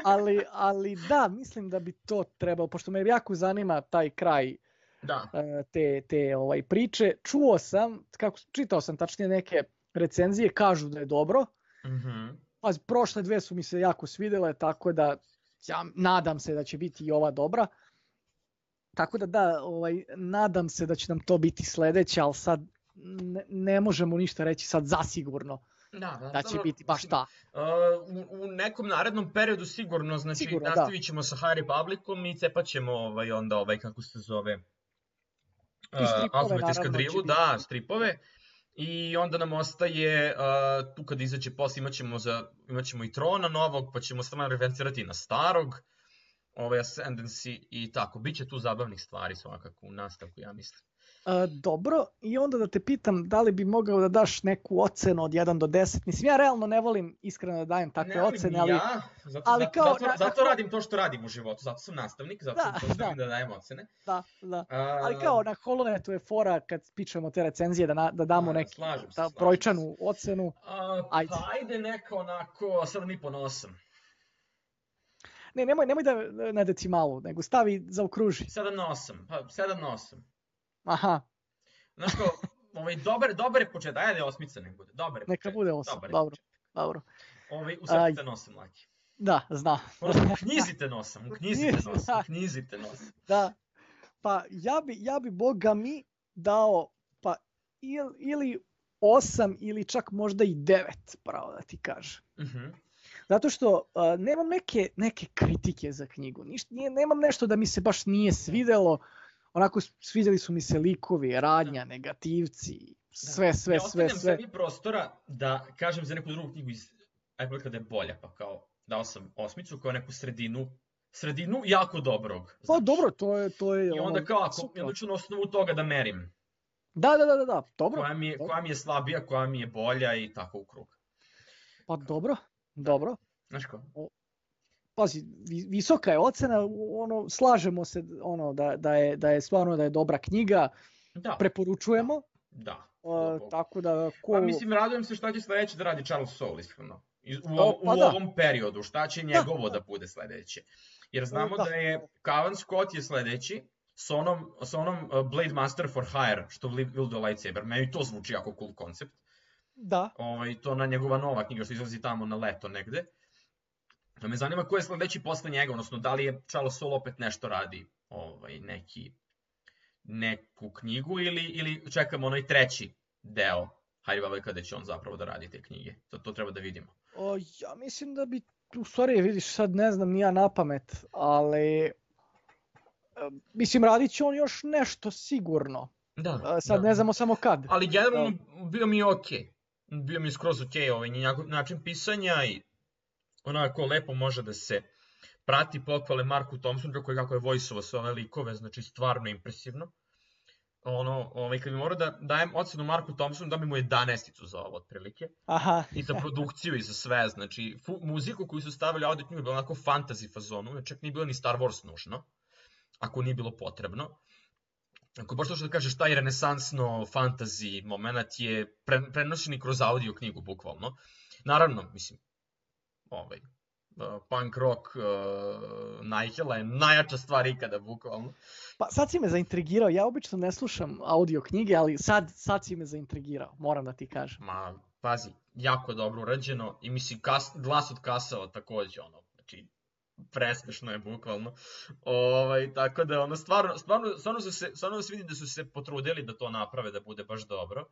ali, ali da, mislim da bi to trebalo, pošto me jako zanima taj kraj Da, e, te, te ovaj, priče. Čuo sam, kako, čitao sam tačnije neke recenzije, kažu da je dobro. mhm. Pa prošle dve su mi se jako svidele, tako da ja nadam se da će biti i ova dobra. Tako da da, ovaj, nadam se da će nam to biti sledeće, ali sad ne, ne možemo ništa reći sad zasigurno Da, da, da će dobro, biti baš mislim, ta. Uh, u, u nekom narednom periodu sigurno, znači Sigurno, da. nastavit ćemo sa High Republicom i cepat ćemo ovaj, onda ovaj, kako se zove, uh, stripove, Ultimate naravno, Eskadrilu, će biti. da, stripove. I onda nam ostaje, uh, tu kad izađe posle imat ćemo, za, imat ćemo i Trona novog, pa ćemo stvarno referencirati na starog, ovaj Ascendancy i tako. Biće tu zabavnih stvari svakako u nastavku, ja mislim. E, dobro, i onda da te pitam da li bi mogao da daš neku ocenu od jedan do deset. Mislim, ja realno ne volim iskreno da dajem takve Ne volim ocene, ni ali ja, zato, ali zato, kao zato, na- zato na- radim to što radim u životu, zato sam nastavnik, zato Da, zato želim da. da dajem ocene. da, da. A, Ali kao na Holonetu je fora kad pičemo te recenzije da, na, da damo A, neki slažem se, ta, slažem brojčanu ocenu. a, Ajde. pa ajde neka onako sedam i po na osam. Ne, nemoj, nemoj da na decimalu, nego stavi zaokruži. sedam na osam, pa sedam na osam. Aha, Znaš kao, ovaj, dobar, dobar je početak, ajde osmica nek bude, dobar je neka početak, bude osam, dobar je dobro, početak. dobro. Ovaj, Aj. usrpite na osam, Laki. Da, znam. U knjizite na osam, u knjizite na osam, u knjizite na osam. Da, pa ja bi, ja bi boga mi dao pa il, ili osam ili čak možda i devet, pravo da ti kažem. Mhm. Zato što uh, nemam neke, neke kritike za knjigu. Ništa, nije, nemam nešto da mi se baš nije svidelo. onako svidjeli su mi se likovi, radnja, negativci, sve, sve, ja sve, ostavljam sve. sebi prostora da kažem za neku drugu knjigu iz Apple kada je bolja, pa kao dao sam osmicu kao neku sredinu, sredinu jako dobrog. Pa znaš. dobro, to je, to je I onda ono, kao ako, super. i onda ću na osnovu toga da merim. Da, da, da, da, da, dobro. Koja mi, je, dobro. koja mi je slabija, koja mi je bolja i tako u krug. Pa dobro, dobro. Znaš kao? Pazi, vi- visoka je ocena, ono, slažemo se ono, da, da, je, da je stvarno da je dobra knjiga, Da, preporučujemo, da. a, tako da ko... Pa mislim, radujem se šta će sledeće da radi Charles Soule, iskreno. Iz- U, Pa ovom, u da. ovom periodu, šta će njegovo da bude sledeće. Jer znamo Da. da je Cavan Scott je sledeći, sa onom, sa onom uh, Blade Master for Hire, što Will will do Lightsaber. Meni to zvuči jako cool koncept. Da, Ovaj, to na njegova nova knjiga što izlazi tamo na leto negde. Da me zanima ko je sledeći posle njega, odnosno da li je Charles Soule opet nešto radi, ovaj, neki, neku knjigu ili, ili čekamo onaj treći deo High Republic kada će on zapravo da radi te knjige. To, to treba da vidimo. o, ja mislim da bi, u stvari vidiš sad ne znam ni ja na pamet, ali e, mislim radit će on još nešto sigurno. Da, E, Sad da. ne znamo samo kad. Ali generalno bio mi je okej. Bio mi je skroz okej ovaj njegov način pisanja i onako lepo može da se prati pohvale Marku Thompsonu kako je, kako je voice-ovo sve ove likove, znači stvarno impresivno. Ono, ovaj, kad bi morao da dajem ocenu Marku Thompsonu, da bi mu jedanaesticu za ovo otprilike. Aha, I za produkciju i za sve, znači fu, muziku koju su stavili audio knjigu je bila onako fantasy fazonu, čak nije bilo ni Star Wars nužno, ako nije bilo potrebno. Ako baš to što da kažeš, taj renesansno fantasy moment je pre, prenošen i kroz audio knjigu, bukvalno. Naravno, mislim, ovaj, uh, punk rock uh, Nigela je najjača stvar ikada, bukvalno. pa sad si me zaintrigirao, ja obično ne slušam audio knjige, ali sad, sad si me zaintrigirao, moram da ti kažem. Ma, pazi, jako dobro urađeno i mislim, kas, glas od Kasava takođe, ono, znači, presmešno je bukvalno. Ovaj, tako da, ono, stvarno, stvarno, stvarno, su se, stvarno se vidi da su se potrudili da to naprave, da bude baš dobro.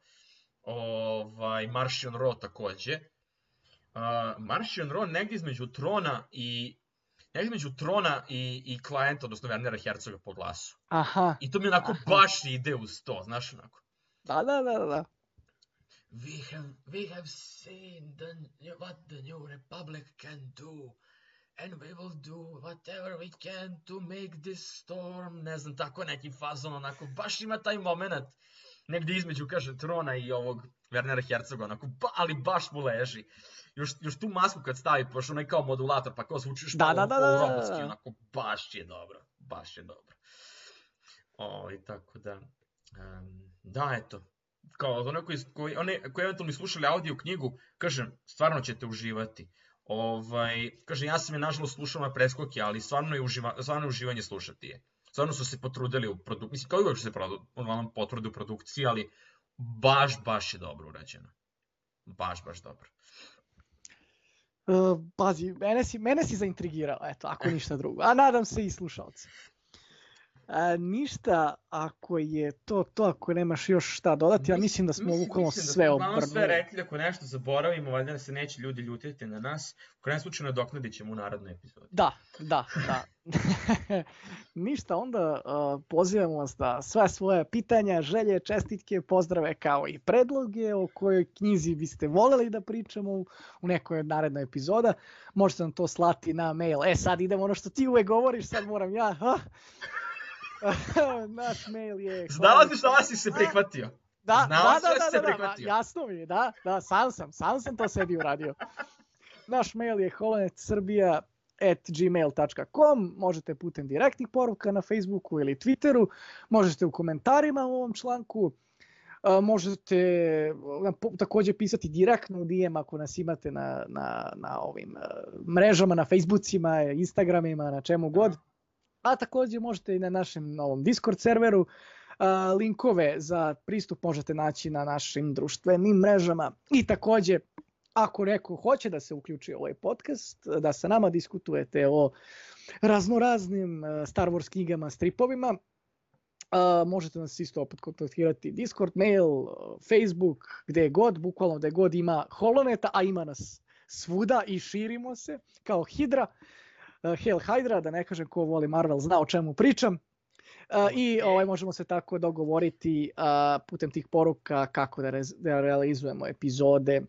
Ovaj, Marcion Ro takođe. Uh, Marcion Ro negdje između Trona i negdje između Trona i, i Klijenta, odnosno Wernera Herzoga po glasu. Aha, I to mi onako Aha. baš ide uz to, znaš onako. da, da, da, da. We have, we have seen the, what the New Republic can do. And we will do whatever we can to make this storm. Ne znam, tako neki fazon, onako, baš ima taj moment. Negdje između, kaže, Trona i ovog Wernera Herzoga, onako, ba, ali baš mu leži. Još, još tu masku kad stavi, pošto onaj kao modulator, pa kao zvuči što Da, da, da, da, da, robotski, da. onako, baš je dobro, baš je dobro. O, i tako da, um, da, eto, kao ono koji, koji, one, koji eventualno slušali audio knjigu, kažem, stvarno ćete uživati. Ovaj, kažem, ja sam je nažalost slušao na preskoke, ali stvarno je, uživa, stvarno je uživanje slušati je. Stvarno su se potrudili u produkciji, mislim, kao i uvijek su se produ, potrude u produkciji, ali baš, baš je dobro urađeno. Baš, baš dobro. Uh, pazi, mene si, mene si zaintrigirao, eto, ako ništa drugo. A nadam se i slušalci. A, ništa, ako je to to, ako nemaš još šta dodati, ja mislim da smo bukvalno sve obrnuli. Mislim da smo sve obrnuli. rekli, ako nešto zaboravimo, valjda se neće ljudi ljutiti na nas. U krajem slučaju nadoknadit ćemo u narodnoj epizodi. Da, da, da. Ništa, onda uh, pozivamo vas da sve svoje pitanja, želje, čestitke, pozdrave kao i predloge o kojoj knjizi biste voljeli da pričamo u, u nekoj od narednoj epizoda. Možete nam to slati na mail. E sad idemo ono što ti uvek govoriš, sad moram ja. Ha? Naš mail je... Znala si šta si se prihvatio? Da, Znala da, si da, da da, si se da, da, prihvatio? jasno mi je, da, da, sam sam, sam sam to sebi uradio. Naš mail je holonetsrbija at gmail dot com, možete putem direktnih poruka na Facebooku ili Twitteru, možete u komentarima u ovom članku, uh, možete uh, također pisati direktno u D M ako nas imate na, na, na ovim uh, mrežama, na Facebookima, Instagramima, na čemu god. A također možete i na našem novom Discord serveru. Uh, linkove za pristup možete naći na našim društvenim mrežama. I također, ako neko hoće da se uključi u ovaj podcast, da sa nama diskutujete o raznoraznim uh, Star Wars knjigama, stripovima, uh, možete nas isto opet kontaktirati Discord, mail, uh, Facebook, gde god, bukvalno gde god ima Holoneta, a ima nas svuda i širimo se kao Hidra. Uh, Hail Hydra, da ne kažem ko voli Marvel zna o čemu pričam. Uh, I ovaj, možemo se tako dogovoriti uh, putem tih poruka kako da, rez, da realizujemo epizode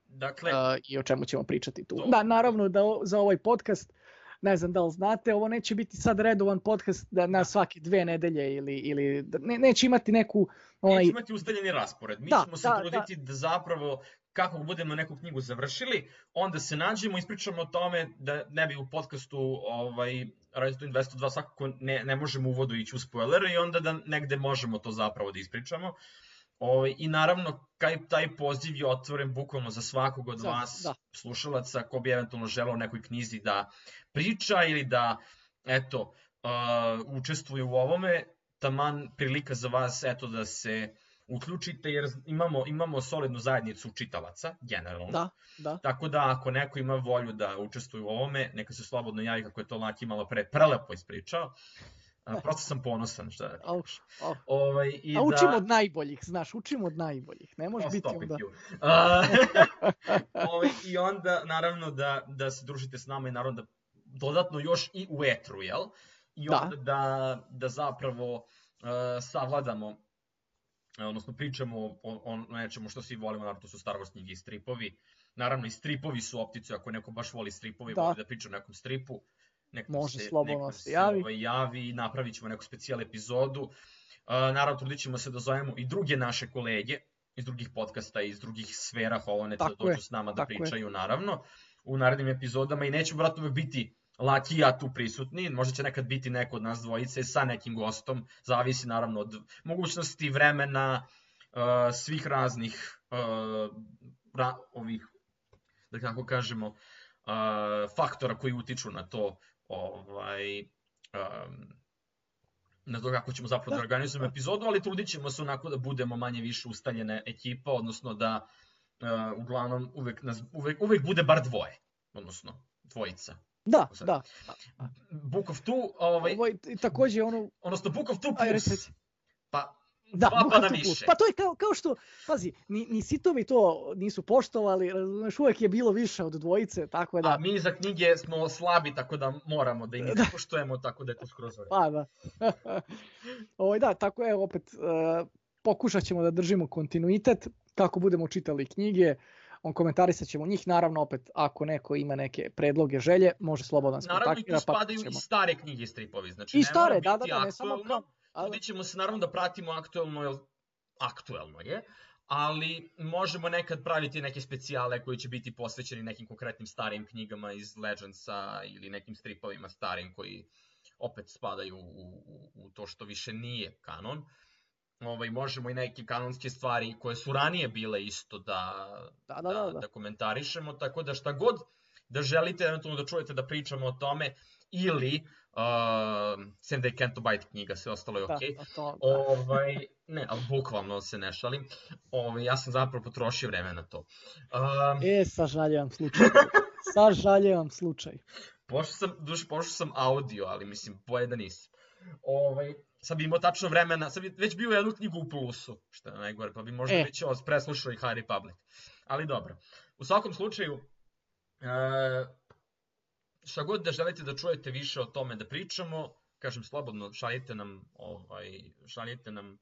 Dakle, uh, i o čemu ćemo pričati tu. To, Da, naravno da o, za ovaj podcast, ne znam da li znate, ovo neće biti sad redovan podcast da na svake dve nedelje ili, ili ne, neće imati neku... Onaj... Neće imati ustaljeni raspored. Mi da, ćemo se da, truditi da. da zapravo kako budemo neku knjigu završili, onda se nađemo, ispričamo o tome da ne bi u podcastu ovaj, Radio dvesta dva svakako ne, ne možemo u uvodu ići u spoilere i onda da negde možemo to zapravo da ispričamo. Ovaj, I naravno, kaj, taj poziv je otvoren bukvalno za svakog od vas, da. slušalaca, ko bi eventualno želeo u nekoj knjizi da priča ili da, eto, uh, učestvuje u ovome, taman prilika za vas, eto, da se uključite, jer imamo, imamo solidnu zajednicu čitalaca, generalno. Da, da. Tako da, ako neko ima volju da učestvuje u ovome, neka se slobodno javi, kako je to Laki malo pre prelepo ispričao. Prosto sam ponosan, šta da kažeš. Oh, oh. Ovaj, i A učimo da... od najboljih, znaš, učimo od najboljih. Ne može oh, biti onda... ovaj, I onda, naravno, da, da se družite s nama i naravno da dodatno još i u etru, jel? I onda da, da, da zapravo uh, savladamo, odnosno pričamo o, o nečemu što svi volimo, naravno to su Star Wars knjige i stripovi. Naravno i stripovi su opticu, ako neko baš voli stripovi, da. voli da priča o nekom stripu. Nekom može se, slobodno se javi. Ovaj, javi i napravit ćemo neku specijal epizodu. Uh, naravno, trudit ćemo se da zovemo i druge naše kolege iz drugih podcasta, iz drugih sfera Holoneta da dođu s nama da pričaju, je. naravno, u narednim epizodama i nećemo, vratno, uvek biti Laki i ja tu prisutni, možda će nekad biti neko od nas dvojice sa nekim gostom, zavisi naravno od mogućnosti, vremena, uh, svih raznih uh, ra, ovih, da kako kažemo, uh, faktora koji utiču na to, ovaj, um, na to kako ćemo zapravo da organizujemo epizodu, ali trudit ćemo se onako da budemo manje više ustaljena ekipa, odnosno da uh, uglavnom uvek, nas, uvek, uvek bude bar dvoje, odnosno dvojica. Da, da. Book of Two, ovaj, Ovo je takođe ono... Odnosno Book of Two plus, Aj, pa da, dva pa da više. Pa to je kao, kao što, pazi, ni, ni sitovi to nisu poštovali, razumeš, uvek je bilo više od dvojice, tako da... A mi za knjige smo slabi, tako da moramo da i mi da poštujemo, tako da je to skroz vreme. Pa da. Ovo, da, tako je, opet, uh, pokušat ćemo da držimo kontinuitet, kako budemo čitali knjige, on komentarisat ćemo njih, naravno opet ako neko ima neke predloge, želje, može slobodno nas kontaktira. Naravno i tu spadaju pa i stare knjige i stripovi, znači i ne stare, mora da, biti da, da, aktuelno, trudit ćemo se naravno da pratimo aktuelno, jer aktuelno je, ali možemo nekad praviti neke specijale koji će biti posvećeni nekim konkretnim starijim knjigama iz Legendsa ili nekim stripovima starim koji opet spadaju u, u, u to što više nije kanon. Ovaj, možemo i neke kanonske stvari koje su ranije bile isto da, da, da, da, da. da komentarišemo, tako da šta god da želite eventualno da čujete da pričamo o tome ili uh, sem da je Kentobite knjiga, sve ostalo je ok. Da, to, da. Ovaj, ne, ali bukvalno se ne šalim. Ovaj, ja sam zapravo potrošio vreme na to. Um, e, sažaljevam slučaj. Sažaljevam slučaj. Pošto sam, duš, pošto sam audio, ali mislim, bolje da nisam. Ovaj, sad bi imao tačno vremena, sad bi već bio jednu knjigu u plusu, što je najgore, pa bi možda e. već preslušao i High Republic. Ali dobro. U svakom slučaju, uh, šta god da želite da čujete više o tome da pričamo, kažem slobodno, šaljite nam, ovaj, šaljite nam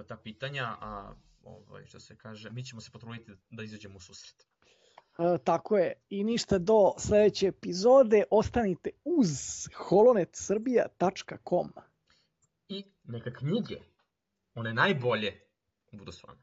ta pitanja, a ovaj, što se kaže, mi ćemo se potruditi da izađemo u susret. E, tako je, i ništa do sledeće epizode, ostanite uz holonet srbija tačka com. I neka knjige, one najbolje, budu s vama.